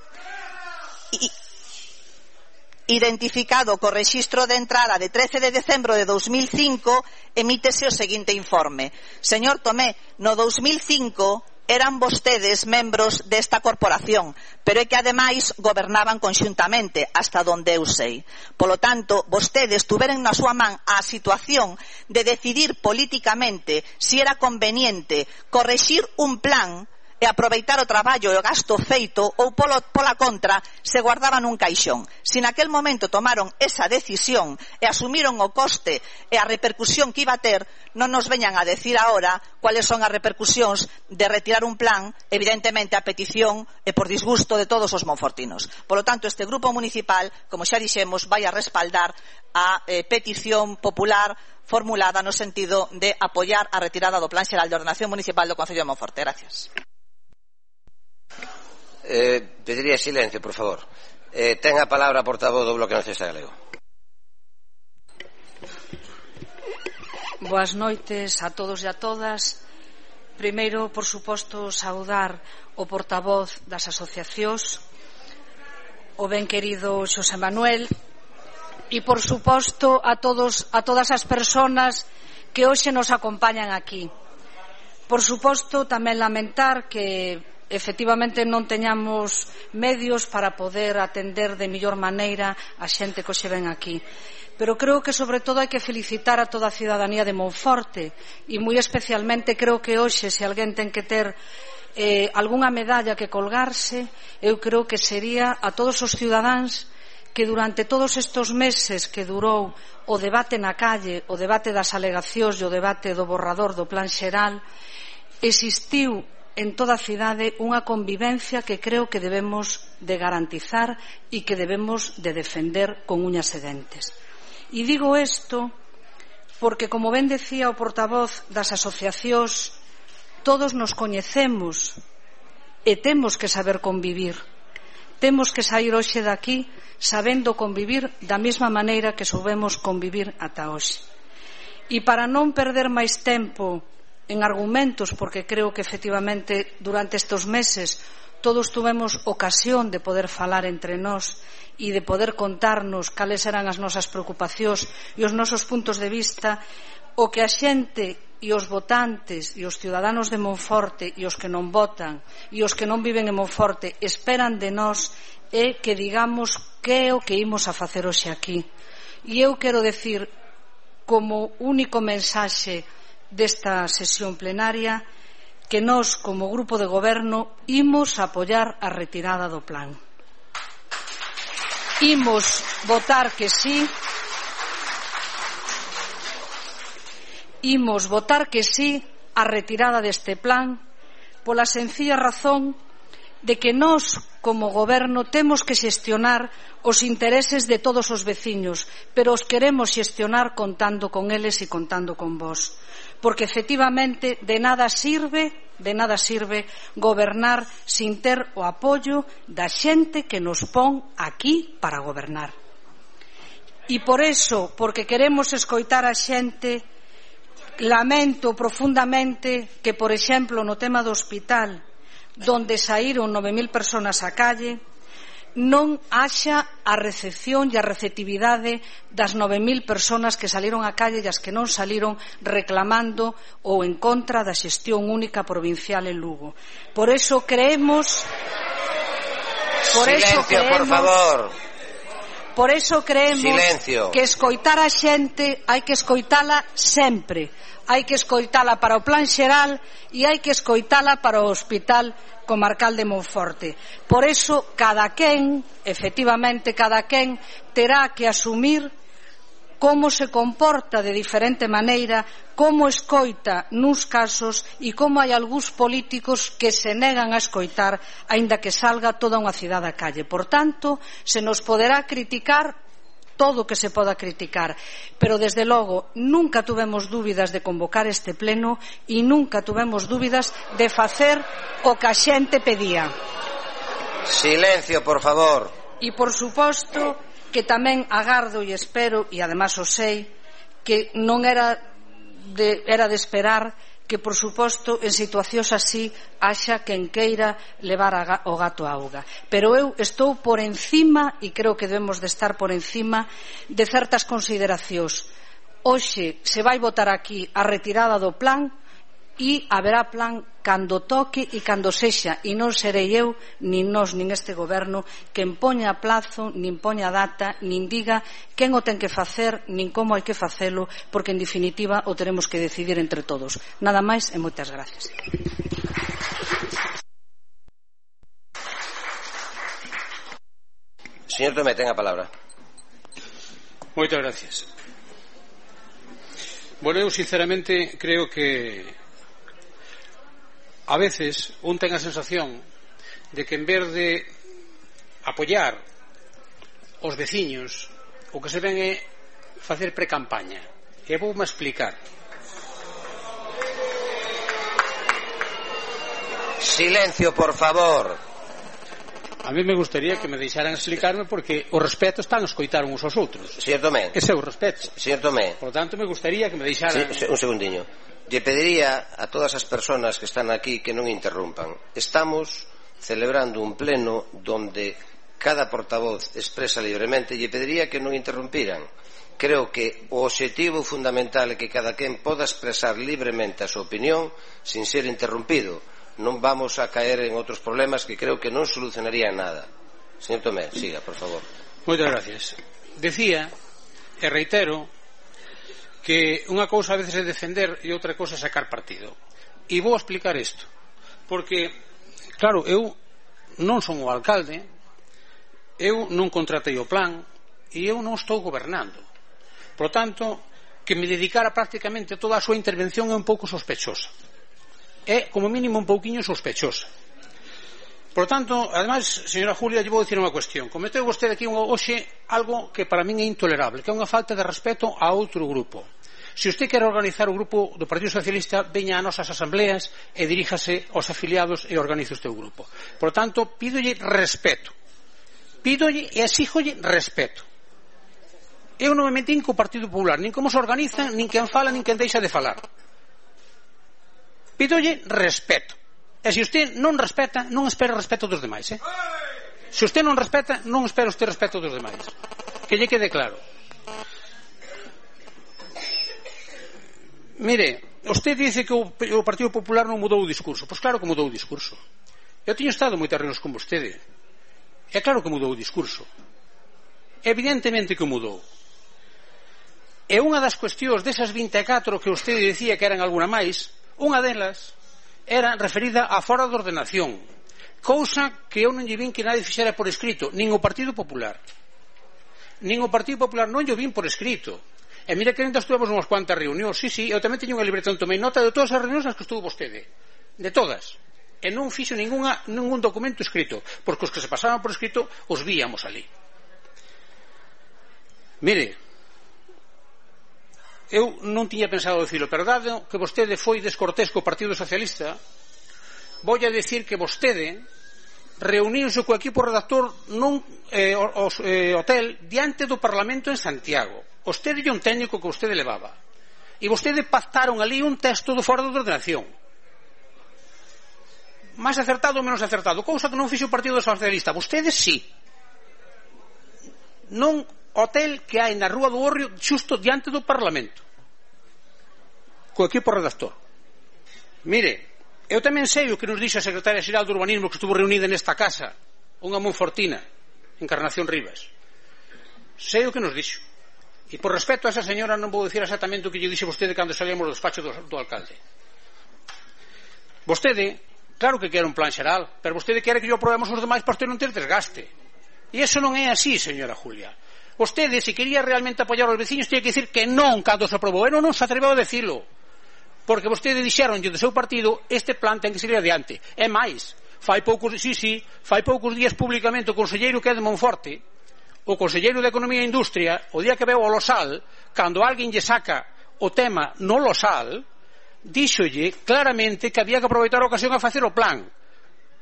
identificado co rexistro de entrada de 13 de decembro de 2005, emítese o seguinte informe. Señor Tomé, no 2005 eran vostedes membros desta corporación, pero é que ademais gobernaban conxuntamente, hasta donde eu sei. Polo tanto, vostedes tuveron na súa man a situación de decidir políticamente si era conveniente correxir un plan e aproveitar o traballo e o gasto feito ou pola contra se guardaban nun caixón. Se naquel momento tomaron esa decisión e asumiron o coste e a repercusión que iba a ter, non nos veñan a decir agora cuáles son as repercusións de retirar un plan, evidentemente a petición e por disgusto de todos os monfortinos. Polo tanto, este grupo municipal, como xa dixemos, vai a respaldar a petición popular formulada no sentido de apoiar a retirada do Plan Xeral de Ordenación Municipal do Concello de Monforte. Gracias.
Pediría silencio, por favor. Ten a palabra a portavoz do Bloque Nacionalista Galego.
Boas noites a todos e a todas. Primeiro, por suposto, saudar o portavoz das asociacións, o ben querido Xosé Manuel, e por suposto a todas as persoas que hoxe nos acompañan aquí. Por suposto, tamén lamentar que efectivamente non teñamos medios para poder atender de mellor maneira a xente que hoxe ven aquí. Pero creo que sobre todo hai que felicitar a toda a cidadanía de Monforte e moi especialmente creo que hoxe se alguén ten que ter algunha medalla que colgarse, eu creo que sería a todos os cidadáns que durante todos estes meses que durou o debate na calle, o debate das alegacións e o debate do borrador do Plan Xeral, existiu en toda a cidade unha convivencia que creo que debemos de garantizar e que debemos de defender con uñas e dentes. E digo isto porque, como ben decía o portavoz das asociacións, todos nos coñecemos e temos que saber convivir. Temos que sair hoxe daqui sabendo convivir da mesma maneira que soubemos convivir ata hoxe. E para non perder máis tempo en argumentos, porque creo que efectivamente durante estes meses todos tuvemos ocasión de poder falar entre nós e de poder contarnos cales eran as nosas preocupacións e os nosos puntos de vista, o que a xente e os votantes e os ciudadanos de Monforte e os que non votan e os que non viven en Monforte esperan de nós é que digamos que é o que imos a facer hoxe aquí. E eu quero decir, como único mensaxe desta sesión plenaria, que nós, como grupo de goberno, imos apoiar a retirada do plan. Imos votar que sí. Imos votar que sí a retirada deste plan pola sencilla razón de que nós, como goberno, temos que xestionar os intereses de todos os veciños, pero os queremos xestionar contando con eles e contando con vós. Porque efectivamente de nada sirve gobernar sin ter o apoio da xente que nos pon aquí para gobernar. E por eso, porque queremos escoitar a xente, lamento profundamente que, por exemplo, no tema do hospital, donde saíron 9.000 persoas á calle, non haxa a recepción e a receptividade das 9.000 persoas que saliron á calle e as que non saliron reclamando ou en contra da xestión única provincial en Lugo. Por eso creemos que escoitar a xente hai que escoitala sempre. Hai que escoitala para o Plan Xeral e hai que escoitala para o Hospital Comarcal de Monforte. Por eso, efectivamente, cada quen terá que asumir como se comporta de diferente maneira, como escoita nuns casos e como hai algúns políticos que se negan a escoitar aínda que salga toda unha cidade á calle. Por tanto, se nos poderá criticar todo o que se poda criticar, pero desde logo nunca tuvemos dúbidas de convocar este pleno e nunca tuvemos dúbidas de facer o que a xente pedía.
Silencio, por favor.
E por suposto que tamén agardo e espero, e además o sei, que non era de esperar que, por suposto, en situacións así haxa quen queira levar o gato á auga. Pero eu estou por encima, e creo que debemos de estar por encima, de certas consideracións. Hoxe se vai votar aquí a retirada do plan e haberá plan cando toque e cando sexa, e non serei eu, nin nós, nin este goberno quen poña plazo, nin poña data, nin diga quen o ten que facer, nin como hai que facelo, porque en definitiva o teremos que decidir entre todos. Nada máis e moitas gracias.
Señor Tomé, ten a palabra.
Moitas gracias. Bueno, eu sinceramente creo que a veces un ten a sensación de que en vez de apoiar os veciños, o que se ven é facer precampaña. E voume explicar.
Silencio, por favor.
A mí me gustaría que me deixaran explicarme, porque o respeto están a escoitar uns aos outros.
Señor Tomé.
Ese é o respeto.
Señor Tomé.
Por lo tanto, me gustaría que me deixaran...
Un segundiño. Lle pediría a todas as persoas que están aquí que non interrumpan. Estamos celebrando un pleno donde cada portavoz expresa libremente, e lle pediría que non interrumpiran. Creo que o obxectivo fundamental é que cada quen poda expresar libremente a súa opinión sin ser interrumpido. Non vamos a caer en outros problemas que creo que non solucionarían nada. Señor Tomé, siga, por favor.
Moitas gracias. Decía, e reitero, que unha cousa a veces é defender e outra cousa é sacar partido. E vou explicar isto, porque, claro, eu non son o alcalde, eu non contratei o plan e eu non estou gobernando. Por tanto, que me dedicara prácticamente toda a súa intervención é un pouco sospechosa. É, como mínimo, un pouquiño sospechosa. Por tanto, además, señora Julia, lle vou dicir unha cuestión. Cometeu vostede aquí hoxe algo que para min é intolerable, que é unha falta de respeto a outro grupo. Se usted quere organizar o grupo do Partido Socialista, veña a nosas asambleas e diríjase aos afiliados e organice o seu grupo. Por tanto, pídolle respeto. Pídolle e exíjolle respeto. Eu non me metín co Partido Popular, nin como se organiza, nin quen fala, nin quen deixa de falar. Pídolle respeto. E se usted non respeta, non espera respeto dos demais, Se usted non respeta, non espera usted respeto dos demais. Que lle quede claro. Mire, usted dice que o Partido Popular non mudou o discurso. Pois claro que mudou o discurso. Eu teño estado moitas reunións con vostede. É claro que mudou o discurso. Evidentemente que mudou. E unha das cuestións desas 24 que usted dicía que eran alguna máis, unha delas era referida á fora de ordenación, cousa que eu non lle vin que nadie fixera por escrito, nin o Partido Popular. Nin o Partido Popular non lle vin por escrito. E mira que ainda estuvemos unhas cuantas reunións. Sí, eu tamén teño unha libretón, tomei nota de todas as reunións nas que estuvo vostede, de todas, e non fixo ningún documento escrito, porque os que se pasaban por escrito os víamos ali. Mire, eu non tiña pensado dicilo, pero dado que vostede foi descortés co Partido Socialista, vou a decir que vostede reuniuse co equipo redactor nun hotel diante do Parlamento en Santiago. Vostede e un técnico que vostede levaba, e vostede pactaron ali un texto do fora de ordenación, máis acertado ou menos acertado, cousa que non fixo o Partido Socialista. Vostede sí, non hotel que hai na Rúa do Hórreo, xusto diante do Parlamento, co equipo redactor. Mire, eu tamén sei o que nos dixo a secretaria xeral do Urbanismo, que estuvo reunida nesta casa, unha monfortina, Encarnación Rivas. Sei o que nos dixo, e por respeto a esa señora non vou dicir exactamente o que lle dixe vostede cando salíamos do despacho do alcalde. Vostede, claro que quere un plan xeral, pero vostede quere que yo aprobemos os demais para usted non ter desgaste, e iso non é así, señora Julia. Vostede, se quería realmente apoiar aos veciños, tiña que dicir que non cando se aprobou. E non se atreveu a decilo. Porque vostede dixeronlle do seu partido este plan ten que seguir adiante. É máis, fai poucos días públicamente o conselleiro que é de Monforte, o conselleiro de Economía e Industria, o día que veu ao Losal, cando alguén lle saca o tema no Losal, díxolle claramente que había que aproveitar a ocasión a facer o plan.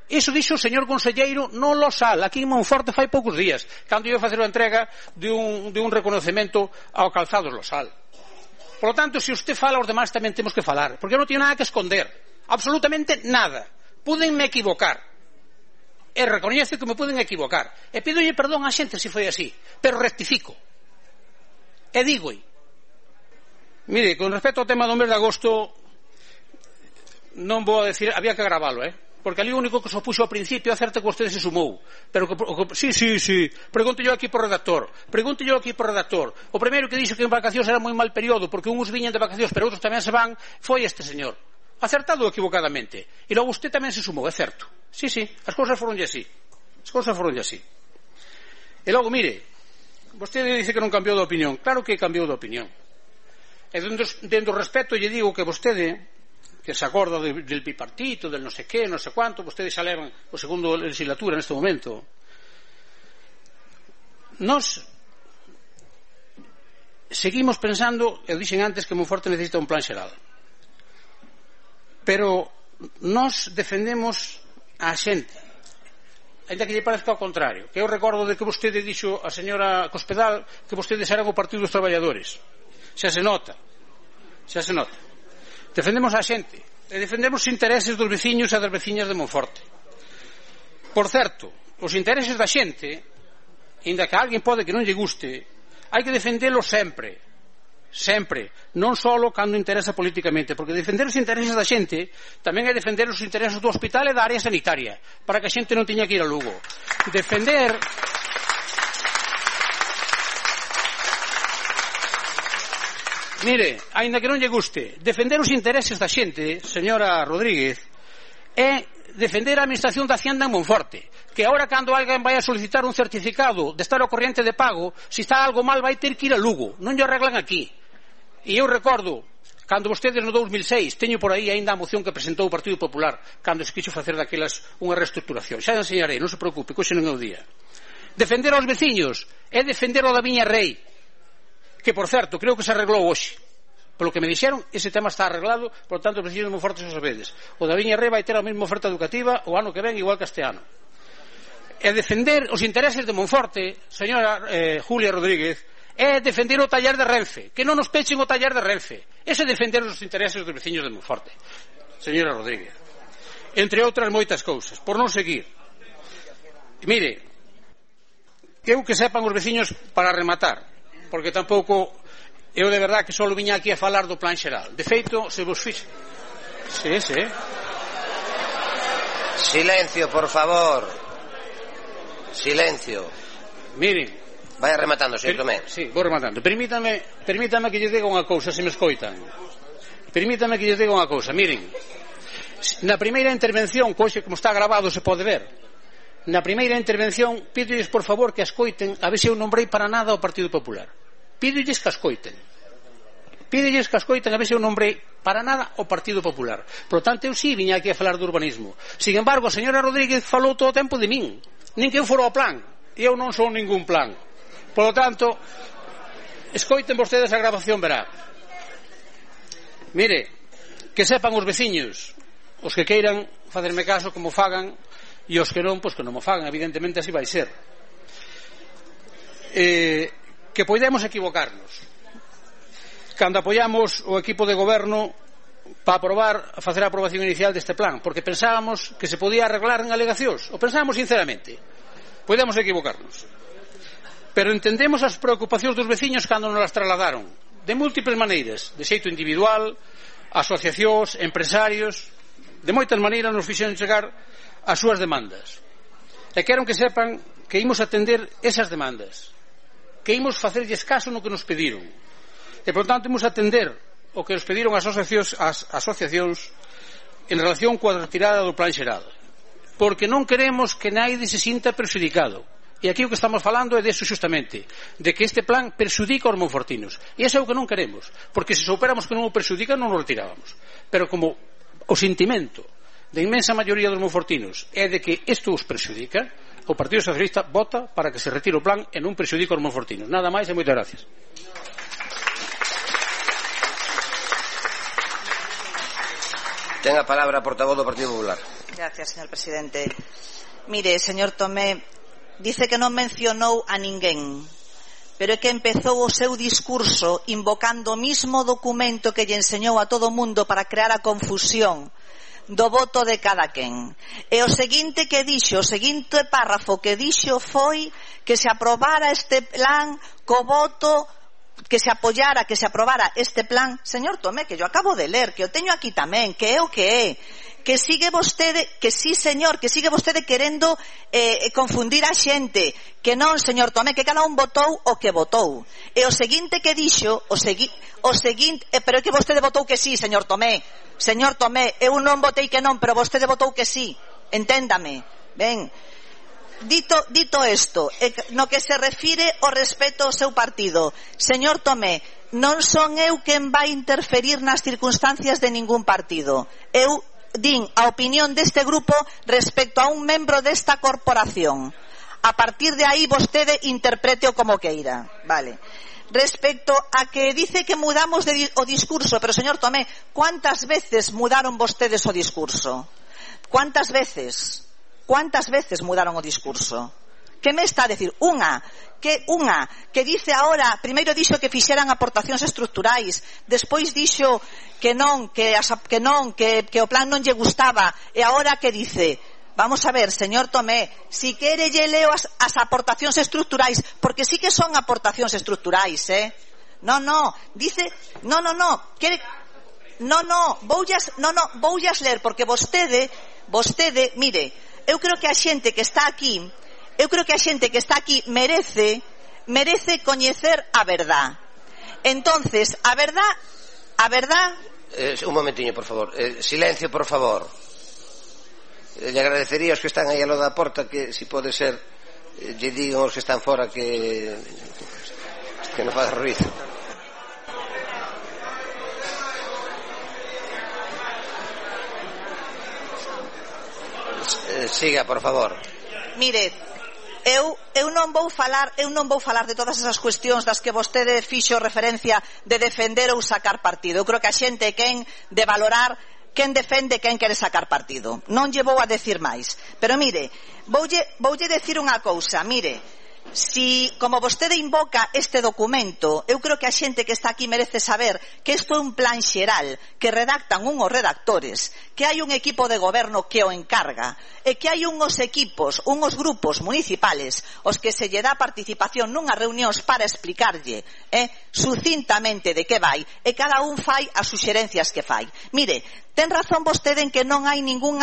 Iso dixo o señor conselleiro no Losal, aquí en Monforte fai poucos días, cando iba a facer a entrega de un reconocemento ao calzado Losal. Por lo tanto, se usted fala, os demais tamén temos que falar, porque non teño nada que esconder, absolutamente nada. Pódenme equivocar, e recoñezo que me poden equivocar, e pídolle perdón á xente se foi así, pero rectifico e digo. Mire, con respecto ao tema do mes de agosto, non vou a decir, había que gravalo, porque ali o único que se opuxo ao principio é certo que vostede se sumou, pero sí, pregunto yo aquí por redactor, o primeiro que dixo que en vacacións era moi mal período, porque uns viñan de vacacións pero outros tamén se van, foi este señor, acertado ou equivocadamente, e logo usted tamén se sumou, é certo, sí, as cousas foronlle así, e logo, mire, vostede dice que non cambiou de opinión, claro que cambiou de opinión, e dentro do respeto lle digo que vostede, que se acorda del bipartito, del non sei que, non sei cuánto, vostedes xa levan o segundo legislatura neste momento. Nós seguimos pensando, eu dixen antes que Monforte necesita un plan xeral, pero nós defendemos a xente, ainda que lle parezca ao contrario, que eu recordo de que vostede dixo a señora Cospedal que vostedes eran o Partido dos Traballadores. Xa se nota. Defendemos a xente e defendemos os intereses dos veciños e das veciñas de Monforte. Por certo, os intereses da xente, ainda que a alguén pode que non lle guste, hai que defendelos sempre, non só cando interesa políticamente, porque defender os intereses da xente tamén é defender os intereses do hospital e da área sanitaria, para que a xente non teña que ir a Lugo. Defender mire, aínda que non lle guste, defender os intereses da xente, señora Rodríguez, é defender a administración da Hacienda en Monforte, que agora cando alguén vai a solicitar un certificado de estar ao corriente de pago, se está algo mal vai ter que ir a Lugo, non lle arreglan aquí. E eu recordo, cando vostedes no 2006, teño por aí aínda a moción que presentou o Partido Popular, cando se quixo facer daquelas unha reestructuración, xa enseñarei, non se preocupe, que hoxe non é o día. Defender aos veciños é defender o da Viña Rei, que, por certo, creo que se arreglou hoxe. Polo que me dixeron, ese tema está arreglado, por tanto, os veciños de Monforte xa sabedes. O da Viña Rei vai ter a mesma oferta educativa o ano que ven, igual que este ano. E defender os intereses de Monforte, señora Julia Rodríguez, é defender o taller de Renfe, que non nos pechen o taller de Renfe. Ese é defender os intereses dos veciños de Monforte, señora Rodríguez. Entre outras moitas cousas, por non seguir. Mire, eu que sepan os veciños para rematar, porque tampouco eu de verdad que só viña aquí a falar do plan xeral. De feito, se vos fixe. Sí.
Silencio, por favor. Silencio.
Miren,
vaya rematando, señor Tomé.
Sí, vou rematando. Permítame que lles diga unha cousa, se me escoitan. Miren, na primeira intervención, coxe como está grabado se pode ver, na primeira intervención pídolles por favor que escoiten a ver se eu nombrei para nada o Partido Popular. Pídolles que escoiten a ver se eu nombrei para nada o Partido Popular. Por lo tanto, eu sí viña aquí a falar do urbanismo. Sin embargo, a señora Rodríguez falou todo o tempo de min, nin que eu fora o plan, e eu non sou ningún plan. Por lo tanto, escoiten vostedes a grabación, verá. Mire, que sepan os veciños, os que queiran facerme caso como fagan, e os que non, pois que non mo fagan, evidentemente así vai ser. Que podemos equivocarnos cando apoiamos o equipo de goberno para facer a aprobación inicial deste plan, porque pensábamos que se podía arreglar en alegacións, o pensábamos sinceramente. Podemos equivocarnos, pero entendemos as preocupacións dos veciños cando nos las trasladaron de múltiples maneiras, de xeito individual, asociacións, empresarios, de moitas maneiras nos fixeron chegar as súas demandas, e quero que sepan que imos atender esas demandas, que imos facerlles caso no que nos pediron, e por tanto imos atender o que nos pediron as asociacións en relación coa retirada do plan xeral, porque non queremos que naide se sinta prexudicado, E aquí o que estamos falando é deso xustamente, de que este plan perxudica os monfortinos. E iso é o que non queremos, porque se soupéramos que non o perxudica non o retirábamos. Pero como o sentimento da inmensa maioría dos monfortinos é de que isto os perxudica, o Partido Socialista vota para que se retire o plan e non perxudica os monfortinos. Nada máis e moitas gracias.
Ten a palabra a portavoz do Partido Popular.
Gracias, señor presidente. Mire, señor Tomé, dice que non mencionou a ninguén, pero é que empezou o seu discurso invocando o mismo documento que lle enseñou a todo o mundo para crear a confusión do voto de cada quen. E o seguinte que dixo, o seguinte párrafo que dixo foi que se aprobara este plan co voto, que se apoyara, que se aprobara este plan. Señor Tomé, que yo acabo de ler, que o teño aquí tamén, que é o que é, que sigue vostede, que sí, señor, que sigue vostede querendo confundir a xente, que non, señor Tomé, que cada un votou o que votou. E o seguinte que dixo, o seguinte, pero é que vostede votou que sí, señor Tomé. Señor Tomé, eu non votei que non, pero vostede votou que sí. Enténdame. Ben, dito isto, no que se refire ao respeto ao seu partido, señor Tomé, non son eu quen vai interferir nas circunstancias de ningún partido. Eu din a opinión deste grupo respecto a un membro desta corporación. A partir de aí vostede interprete-o como queira. Vale. Respecto a que dice que mudamos o discurso, pero señor Tomé, ¿cuántas veces mudaron vostedes o discurso? ¿Cuántas veces mudaron o discurso? Que me está a decir? Unha que dice ahora, primeiro dixo que fixeran aportacións estruturais, despois dixo que non, que o plan non lle gustaba, e agora que dice? Vamos a ver, señor Tomé, si quere lle leo as aportacións estruturais, porque sí que son aportacións estruturais, dice, voullas ler, porque vostede, mire, eu creo que a xente que está aquí merece coñecer a verdad. Entonces, a verdad...
un momentiño, por favor. Silencio, por favor. Le agradecería aos que están aí a lo da porta que, si pode ser, lle digan aos que están fora que non faga ruido. Siga, por favor.
Mire, eu non vou falar de todas esas cuestións das que vostede fixo referencia de defender ou sacar partido. Eu creo que a xente quen de valorar quen defende, quen quere sacar partido. Non lle vou a decir máis. Pero mire, voulle decir unha cousa. Mire, si, como vostede invoca este documento, eu creo que a xente que está aquí merece saber que isto é un plan xeral que redactan unhos redactores, que hai un equipo de goberno que o encarga e que hai unhos grupos municipales os que se lle dá participación nunhas reunións para explicarlle sucintamente de que vai, e cada un fai as suxerencias que fai. Mire, ten razón vostede en que non hai ningún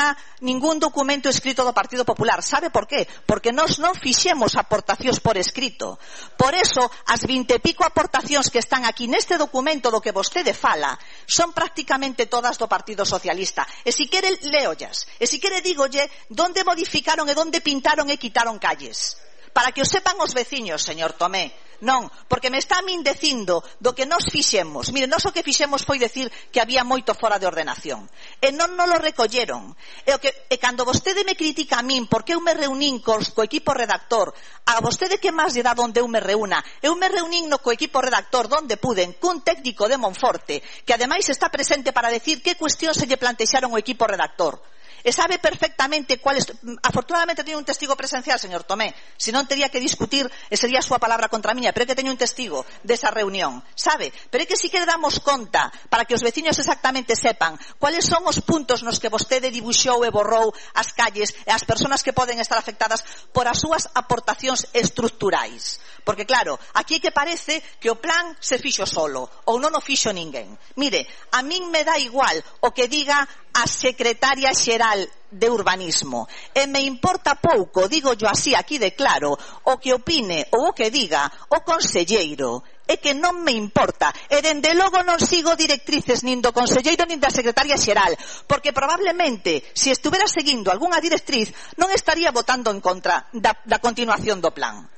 documento escrito do Partido Popular. Sabe por qué? Porque nós non fixemos aportacións por escrito. Por eso, as 20 e pico aportacións que están aquí neste documento do que vostede fala son prácticamente todas do Partido Socialista. E si quere, leollas. E si quere, dígolle donde modificaron e donde pintaron e quitaron calles. Para que o sepan os veciños, señor Tomé. Non, porque me está a min dicindo do que nos fixemos. Mire, nós o que fixemos foi decir que había moito fora de ordenación. E non nos lo recolleron. E cando vostede me critica a min porque eu me reunín co equipo redactor, a vostede que máis lle dá onde eu me reúna? Eu me reunín co equipo redactor donde puden cun técnico de Monforte que ademais está presente para decir que cuestión se lle plantexaron o equipo redactor. E sabe perfectamente cuáles. Afortunadamente teño un testigo presencial, señor Tomé, se non tería que discutir e sería a súa palabra contra a miña, pero é que teño un testigo desa reunión, sabe? Pero é que si que le damos conta para que os veciños exactamente sepan cuáles son os puntos nos que vostede dibuixou e borrou as calles e as persoas que poden estar afectadas por as súas aportacións estruturais. Porque claro, aquí é que parece que o plan se fixo solo ou non o fixo ninguén. Mire, a min me dá igual o que diga a secretaria xeral de urbanismo e me importa pouco, digo yo así aquí de claro, o que opine ou o que diga o conselleiro é que non me importa, e dende logo non sigo directrices nin do conselleiro nin da secretaria xeral, porque probablemente se estuvera seguindo algunha directriz non estaría votando en contra da continuación do plan.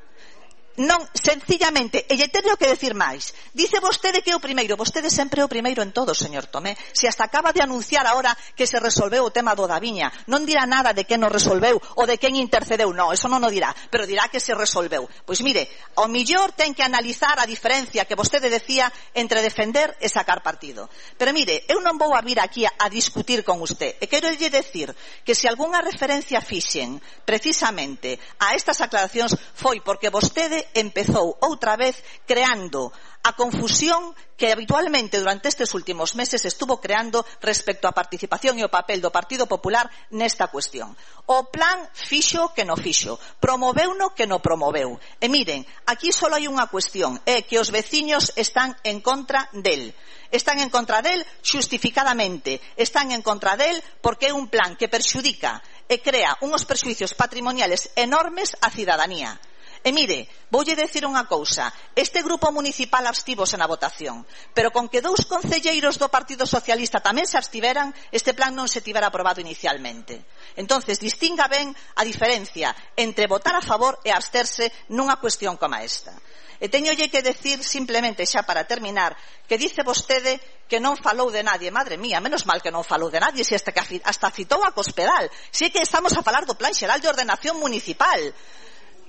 Non, sencillamente, e lle teño que decir máis. Dice vostede que é o primeiro, vostede sempre é o primeiro en todo, señor Tomé. Se hasta acaba de anunciar agora que se resolveu o tema do Daviña, non dirá nada de quen o resolveu ou de quen intercedeu, non, eso non o dirá, pero dirá que se resolveu. Pois mire, ao millor ten que analizar a diferencia que vostede decía entre defender e sacar partido. Pero mire, eu non vou a vir aquí a discutir con usted, e quero lle decir que se algunha referencia fixen precisamente a estas aclaracións foi porque vostede empezou outra vez creando a confusión que habitualmente durante estes últimos meses estuvo creando respecto á participación e o papel do Partido Popular nesta cuestión. O plan fixo que no fixo, promoveu no que no promoveu. E miren, aquí só hai unha cuestión, é que os veciños están en contra del. Están en contra del xustificadamente, están en contra del porque é un plan que perxudica e crea unhos perxuicios patrimoniales enormes á cidadanía. E mire, voulle decir unha cousa, este grupo municipal abstívose na votación, pero con que 2 concelleiros do Partido Socialista tamén se abstiveran, este plan non se tivera aprobado inicialmente. Entonces, distinga ben a diferencia entre votar a favor e absterse nunha cuestión como esta. E teñolle que decir simplemente xa para terminar que dice vostede que non falou de nadie. Madre mía, menos mal que non falou de nadie, se hasta citou a Cospedal. Si é que estamos a falar do Plan Xeral de Ordenación Municipal.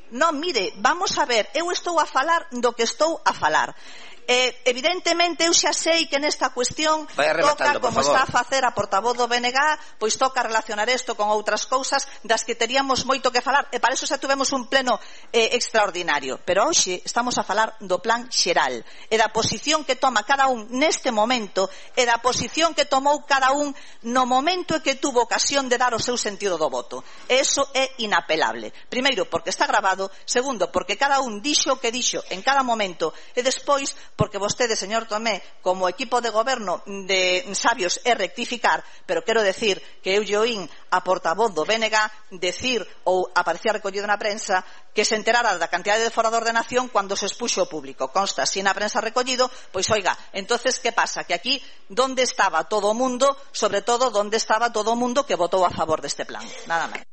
Non, mire, vamos a ver, eu estou a falar do que estou a falar. Evidentemente eu xa sei que nesta cuestión toca, como está a facer a portavoz do BNG, pois toca relacionar isto con outras cousas das que teríamos moito que falar, e para iso xa tuvemos un pleno extraordinario, pero hoxe estamos a falar do plan xeral e da posición que toma cada un neste momento e da posición que tomou cada un no momento en que tuvo ocasión de dar o seu sentido do voto. E iso é inapelable. Primeiro, porque está grabado; segundo, porque cada un dixo o que dixo en cada momento; e despois, porque vostede, señor Tomé, como equipo de goberno de sabios é rectificar, pero quero decir que eu lle oín a portavoz do BNG decir, ou aparecía recollido na prensa, que se enterara da cantidade de fora de ordenación cando se expuxo ao público. Consta así na prensa recollido, pois oiga, entonces que pasa? Que aquí, donde estaba todo o mundo, sobre todo, donde estaba todo o mundo que votou a favor deste plan? Nada máis.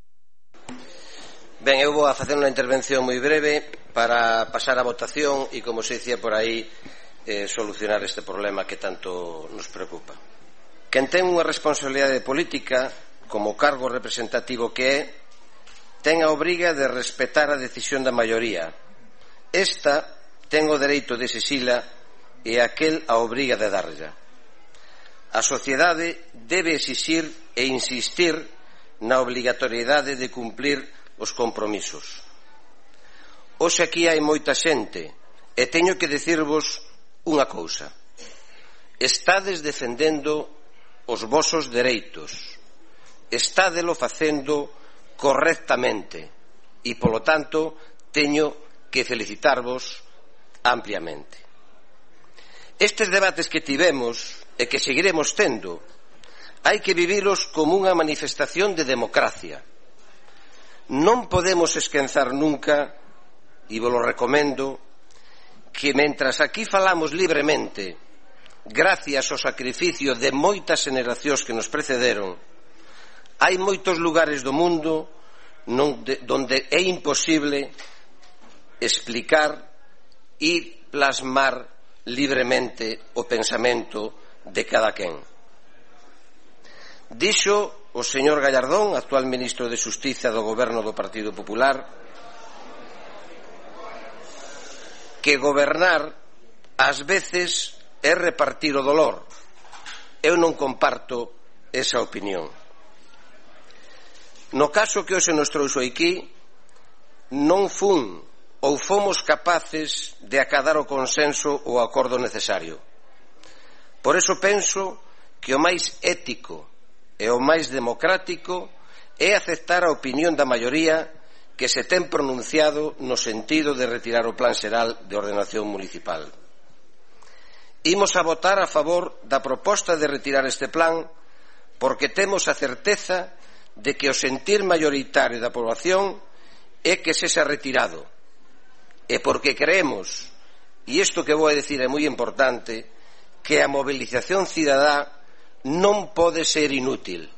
Ben, eu vou a facer unha intervención moi breve para pasar a votación e, como se dicía por aí, solucionar este problema que tanto nos preocupa. Quen ten unha responsabilidade política, como cargo representativo que é, ten a obriga de respetar a decisión da maioría. Esta ten o dereito de exixila e aquel a obriga de darlla. A sociedade debe exixir e insistir na obligatoriedade de cumplir os compromisos. Hoxe aquí hai moita xente e teño que dicirvos unha cousa: estades defendendo os vosos dereitos, estádelo facendo correctamente e, polo tanto, teño que felicitarvos ampliamente. Estes debates que tivemos e que seguiremos tendo hai que vivilos como unha manifestación de democracia. Non podemos esquenzar nunca, e vos lo recomendo, que mentras aquí falamos libremente, gracias ao sacrificio de moitas xeracións que nos precederon, hai moitos lugares do mundo donde é imposible explicar e plasmar libremente o pensamento de cada quen. Dixo o señor Gallardón, actual ministro de Xustiza do goberno do Partido Popular, que gobernar ás veces é repartir o dolor. Eu non comparto esa opinión. No caso que hoxe nos trouxo aquí, non fun ou fomos capaces de acadar o consenso ou o acordo necesario. Por eso penso que o máis ético e o máis democrático é aceptar a opinión da maioría que se ten pronunciado no sentido de retirar o Plan Xeral de Ordenación Municipal. Imos a votar a favor da proposta de retirar este plan porque temos a certeza de que o sentir maioritario da poboación é que sexa retirado, e porque creemos e isto que vou a dicir é moi importante, que a mobilización cidadá non pode ser inútil.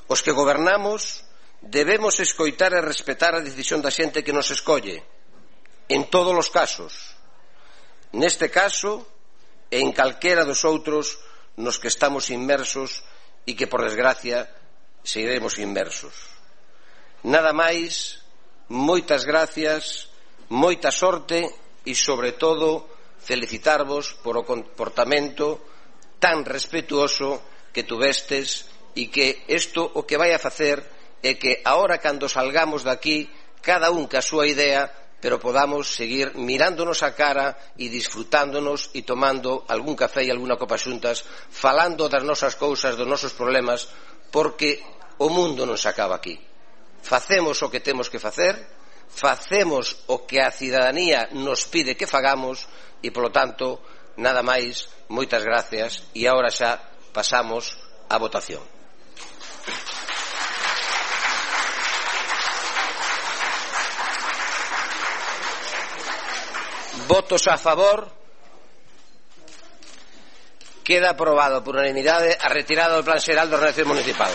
Os que gobernamos debemos escoitar e respetar a decisión da xente que nos escolle, en todos os casos, neste caso e en calquera dos outros nos que estamos inmersos e que, por desgracia, seguiremos inmersos. Nada máis, moitas gracias, moita sorte e, sobre todo, felicitarvos por o comportamento tan respetuoso que tuvestes e que isto o que vai a facer é que agora, cando salgamos daqui, cada un ca súa idea, pero podamos seguir mirándonos a cara e disfrutándonos e tomando algún café e algunha copa xuntas, falando das nosas cousas, dos nosos problemas, porque o mundo non se acaba aquí. Facemos o que temos que facer, facemos o que a cidadanía nos pide que fagamos e, polo tanto, nada máis, moitas gracias e agora xa pasamos á votación. Votos a favor. Queda aprobado por unanimidade a retirada do Plan Xeral de Ordenación Municipal.